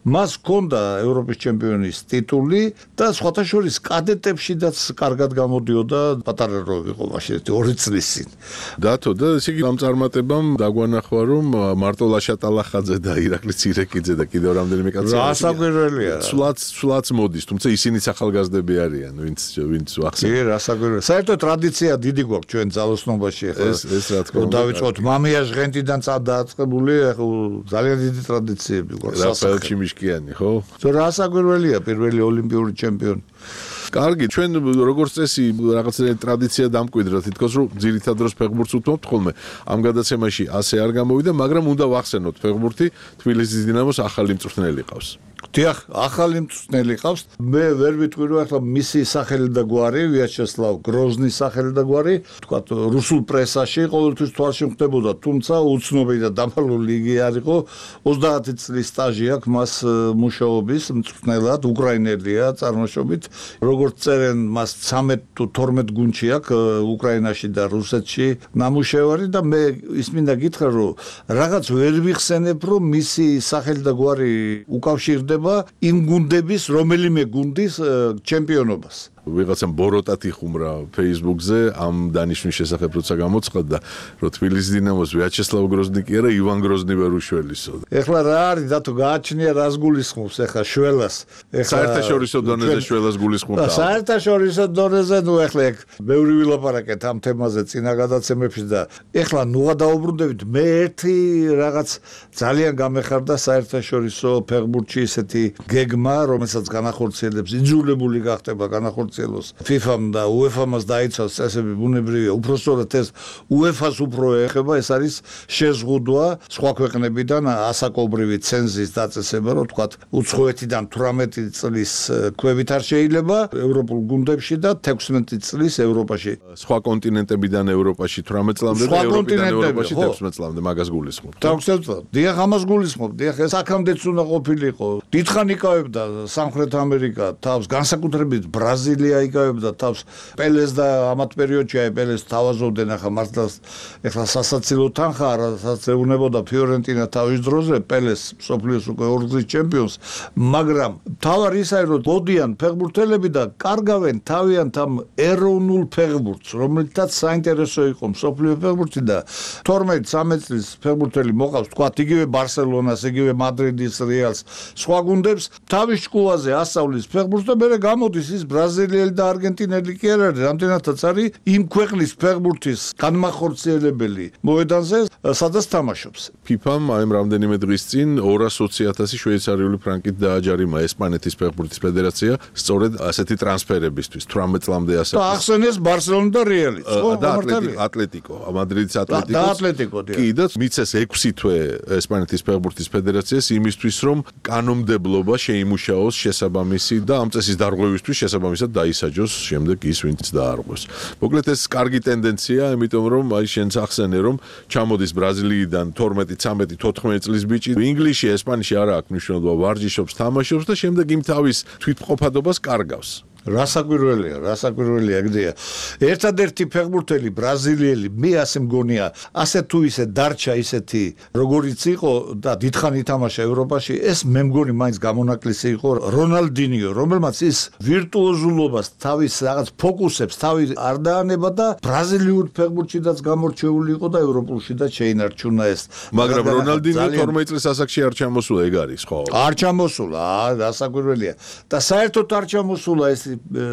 მას ჰქონდა ევროპის ჩემპიონის ტიტული და სხვათა შორის კადეტებშიც კარგად გამოდიოდა, პატარა რო იყო მაშინ 2 წლის წინ. დათო და ესე იგი ამ წარმატებამ დაგვანახვა, რომ მარტო ლაშატალახაძე და ირაკლი ცირეკიძე და კიდევ რამდენიმე კაცი რასაკვირველია. სულაც მოდის, თუმცა ისინიც ახალგაზრდები არიან, ვინც ახსენე. კი, რასაკვირველია. საერთოდ ტრადიცია დიდი გვაქვს ჩვენ ძალოსნობაში ახლა. ეს რა თქმა უნდა. დავიწყოთ მამია ჟღენტიდან დააწყებული, ახლა ძალიან დიდი ტრადიციები გვაქვს. რაფაელჩი მიშკიანი, ხო? რასაკვირველია, პირველი ოლიმპიური ჩემპიონი. კარგი, ჩვენ როგორც წესი რაღაცა ტრადიცია დამკვიდრა, თითქოს რომ ძირითად დროს ფეხბურთს უთმობთ ხოლმე. ამ გადაცემაში ასე არ გამოვიდა, მაგრამ უნდა ვახსენოთ ფეხბურთი, თბილისის დინამოს ახალი მწვრთნელი ყავს. დიახ, ახალი მწვრთნელი ყავს. მე ვერ ვიტყვი რომ ახლა მისი სახელი და გვარი, ვიაჩესლავ გროზნის სახელი და გვარი, თქვათ რუსულ პრესაში ყოველთვის თვალში ხდებოდა, თუმცა უცნობი და დამალული იგი არ იყო. 30 წლის სტაჟი აქვს მას მუშაობის მწვრთნელად, უკრაინელია წარმოშობით. როგორც წერენ, მას 13 თუ 12 გუნდში აქვს უკრაინაში და რუსეთში ნამუშევარი და მე ის მინდა გითხრა, რომ რაღაც ვერ ვიხსენებ, რომ მისი სახელი და გვარი უკავშირდება იმ გუნდების რომელიმე გუნდის ჩემპიონობას. ვიღაცამ ბოროტად იხუმრა Facebook-ზე ამ დანიშნვის შესახებ როცა გამოცხადდა, რომ თბილისის დინამოს ვიაჩესლავ გროზნიკი არა ივან გროზნი ვერ უშველისო. ეხლა რა არის დათო გააჩნია რას გულისხმობს ეხლა შველას. საერთაშორისო დონეზე შველას გულისხმობდა. საერთაშორისო დონეზე ნუ ეხლა ეგ ბევრი ვილაპარაკეთ ამ თემაზე წინა გადაცემებში და ეხლა ნუღა დაუბრუნდებით მე ერთი რაღაც ძალიან გამეხარდა საერთაშორისო ფეხბურთში ესეთი გეგმა, რომელსაც განახორციელებს იძულებული გახდება განახორციელოს FIFA-მ და UEFA-მას დაიცავს წესები ბუნებრივია. უпростоრად ეს UEFA-ს უფრო ეხება, ეს არის შეზღუდვა სხვა ქვეყნებიდან ასაკობრივი ცენზის დაწესება, რომ თქვა უცხოეთიდან 18 წლის ქვევით არ შეიძლება ევროპულ გუნდებში და 16 წლის ევროპაში. სხვა კონტინენტებიდან ევროპაში 18 წლამდე და ევროპიდან ევროპაში 16 წლამდე მაგას გულისხმობ. 16 წლამდე. დიახ, ამას გულისხმობ. დიახ, ეს აქამდეც უნდა ყოფილიყო. დიდხანი იკავებდა სამხრეთ ამერიკა თავს, განსაკუთრებით ბრაზილია იკავებდა თავს. პელეს და ამათ პერიოდში აი პელეს თავაზობდნენ ახლა მართლა ეხლა სასაცილო თანხა რასაც ეუნებოდა ფიორენტინა თავის დროზე პელეს მსოფლიოს უკვე ორგზის ჩემპიონს, მაგრამ თავარი ის არის რომ მოდიან ფეხბურთელები და კარგავენ თავიანთ ამ ეროვნულ ფეხბურთს, რომელთაც საინტერესო იყო მსოფლიო ფეხბურთი და 12-13 წლის ფეხბურთელი მოყავს თქვა იგივე ბარსელონას, იგივე მადრიდის რეალს, სხვა გუნდებს თავის ჭკუაზე ასწავლის ფეხბურთს და მერე გამოდის ის ბრაზილიელი და არგენტინელი კი არ არის, რამდენადაც არის იმ ქვეყნის ფეხბურთის განმახორციელებელი მოედანზე, სადაც თამაშობს. FIFA-მ აი რამდენიმე დღის წინ 220,000 შვეიცარიული ფრანკით დააჯარიმა ესპანეთის ფეხბურთის ფედერაცია სწორედ ასეთი ტრანსფერებისთვის 18 წლამდე ასე. და ახსენეს ბარსელონა და რეალი. და ატლეტიკო, მადრიდის ატლეტიკოს. და ატლეტიკო. კი და მიცეს 6 თვე ესპანეთის ფეხბურთის ფედერაციას იმისთვის რომ კანონმდებლობა შეიმუშაოს შესაბამისი და ამ წესის დარღვევისთვის შესაბამისად დაისაჯოს შემდეგ ის ვინც დაარღვევს. მოკლედ ეს კარგი ტენდენცია, იმიტომ რომ აი შენც ახსენე რომ ჩამოდის ბრაზილიიდან 12, 13, 14 წლის ბიჭი, ინგლისში, ესპანეთში არა აქვს მნიშვნელობა, ვარჯიშობს, თამაშობს და შემდეგ იმ თავის თვითმყოფადობას კარგავს. რასაკვირველია გდია. ერთადერთი ფეხბურთელი ბრაზილიელი მე ასე მგონია, ასე თუ ისე დარჩა ისეთი როგორიც იყო და დიდხანი თამაშა ევროპაში, ეს მე მგონი მაინც გამონაკლისი იყო რონალდინიო, რომელმაც ის ვირტუოზულობას თავის რაღაც ფოკუსებს თავი არ დაანება და ბრაზილიურ ფეხბურთშიც გამორჩეული იყო და ევროპულში და შეინარჩუნა ეს. მაგრამ რონალდინიო 12 წლის ასაკში არ ჩამოსულა, ეგ არის ხო? არ ჩამოსულა, რასაკვირველია. და საერთოდ არ ჩამოსულა ეს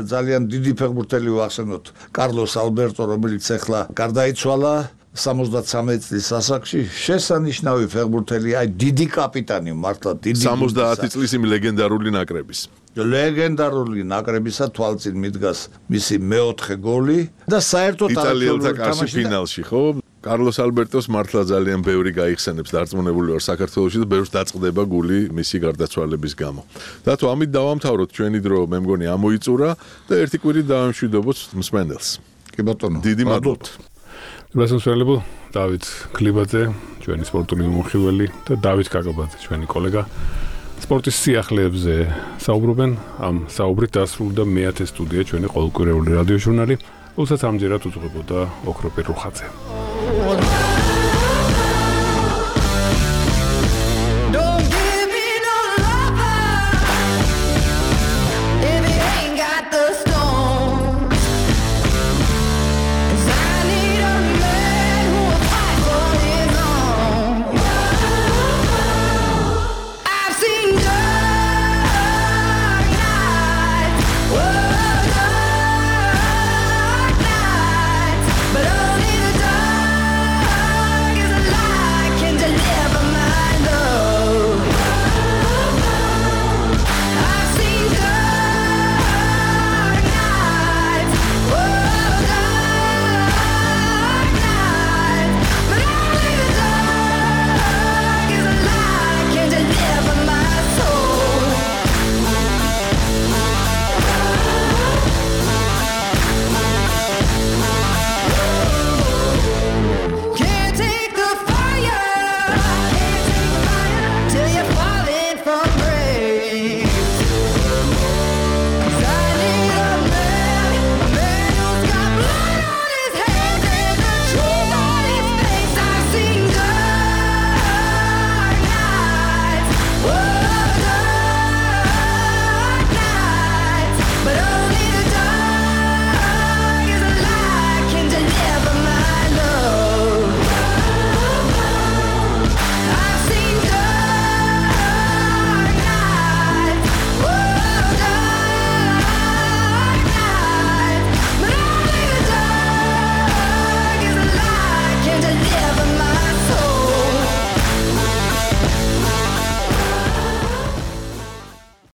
ძალიან დიდი ფეხბურთელი ვახსენოთ კარლოს ალბერტო, რომელიც ახლა გარდაიცვალა 73 წლის ასაკში, შესანიშნავი ფეხბურთელი, აი დიდი კაპიტანი, მართლა დიდი 70 წლის იმ ლეგენდარული ნაკრების. ლეგენდარული ნაკრებისა თვალწინ მიდგას მისი მეოთხე გოლი და საერთოდ იტალიელთა კარში ფინალში, ხო? კარლოს ალბერტოს მართლა ძალიან ბევრი გაიხსენებს დარწმუნებული ვარ საქართველოში და ბევრს დაწყდება გული მისი გარდაცვალების გამო. დათო, ამით დავამთავროთ ჩვენი დრო, მე მგონი ამოიწურა და ერთი კვირით დავამშვიდობოთ მსმენელს. კი ბატონო, დიდი მადლობა. გასასვლელებ დავით ქლიბაძე, ჩვენი სპორტული მომხიველი და დავით კაკაბაძე, ჩვენი კოლეგა. სპორტის სიახლეებზე საუბრობენ. ამ საუბრით დასრულდა მე-10 სტუდია, ჩვენი ყოველკვირეული რადიო ჟურნალი. უცად ამჯერად უძღვებოდა ოქროპირ რუხაძე.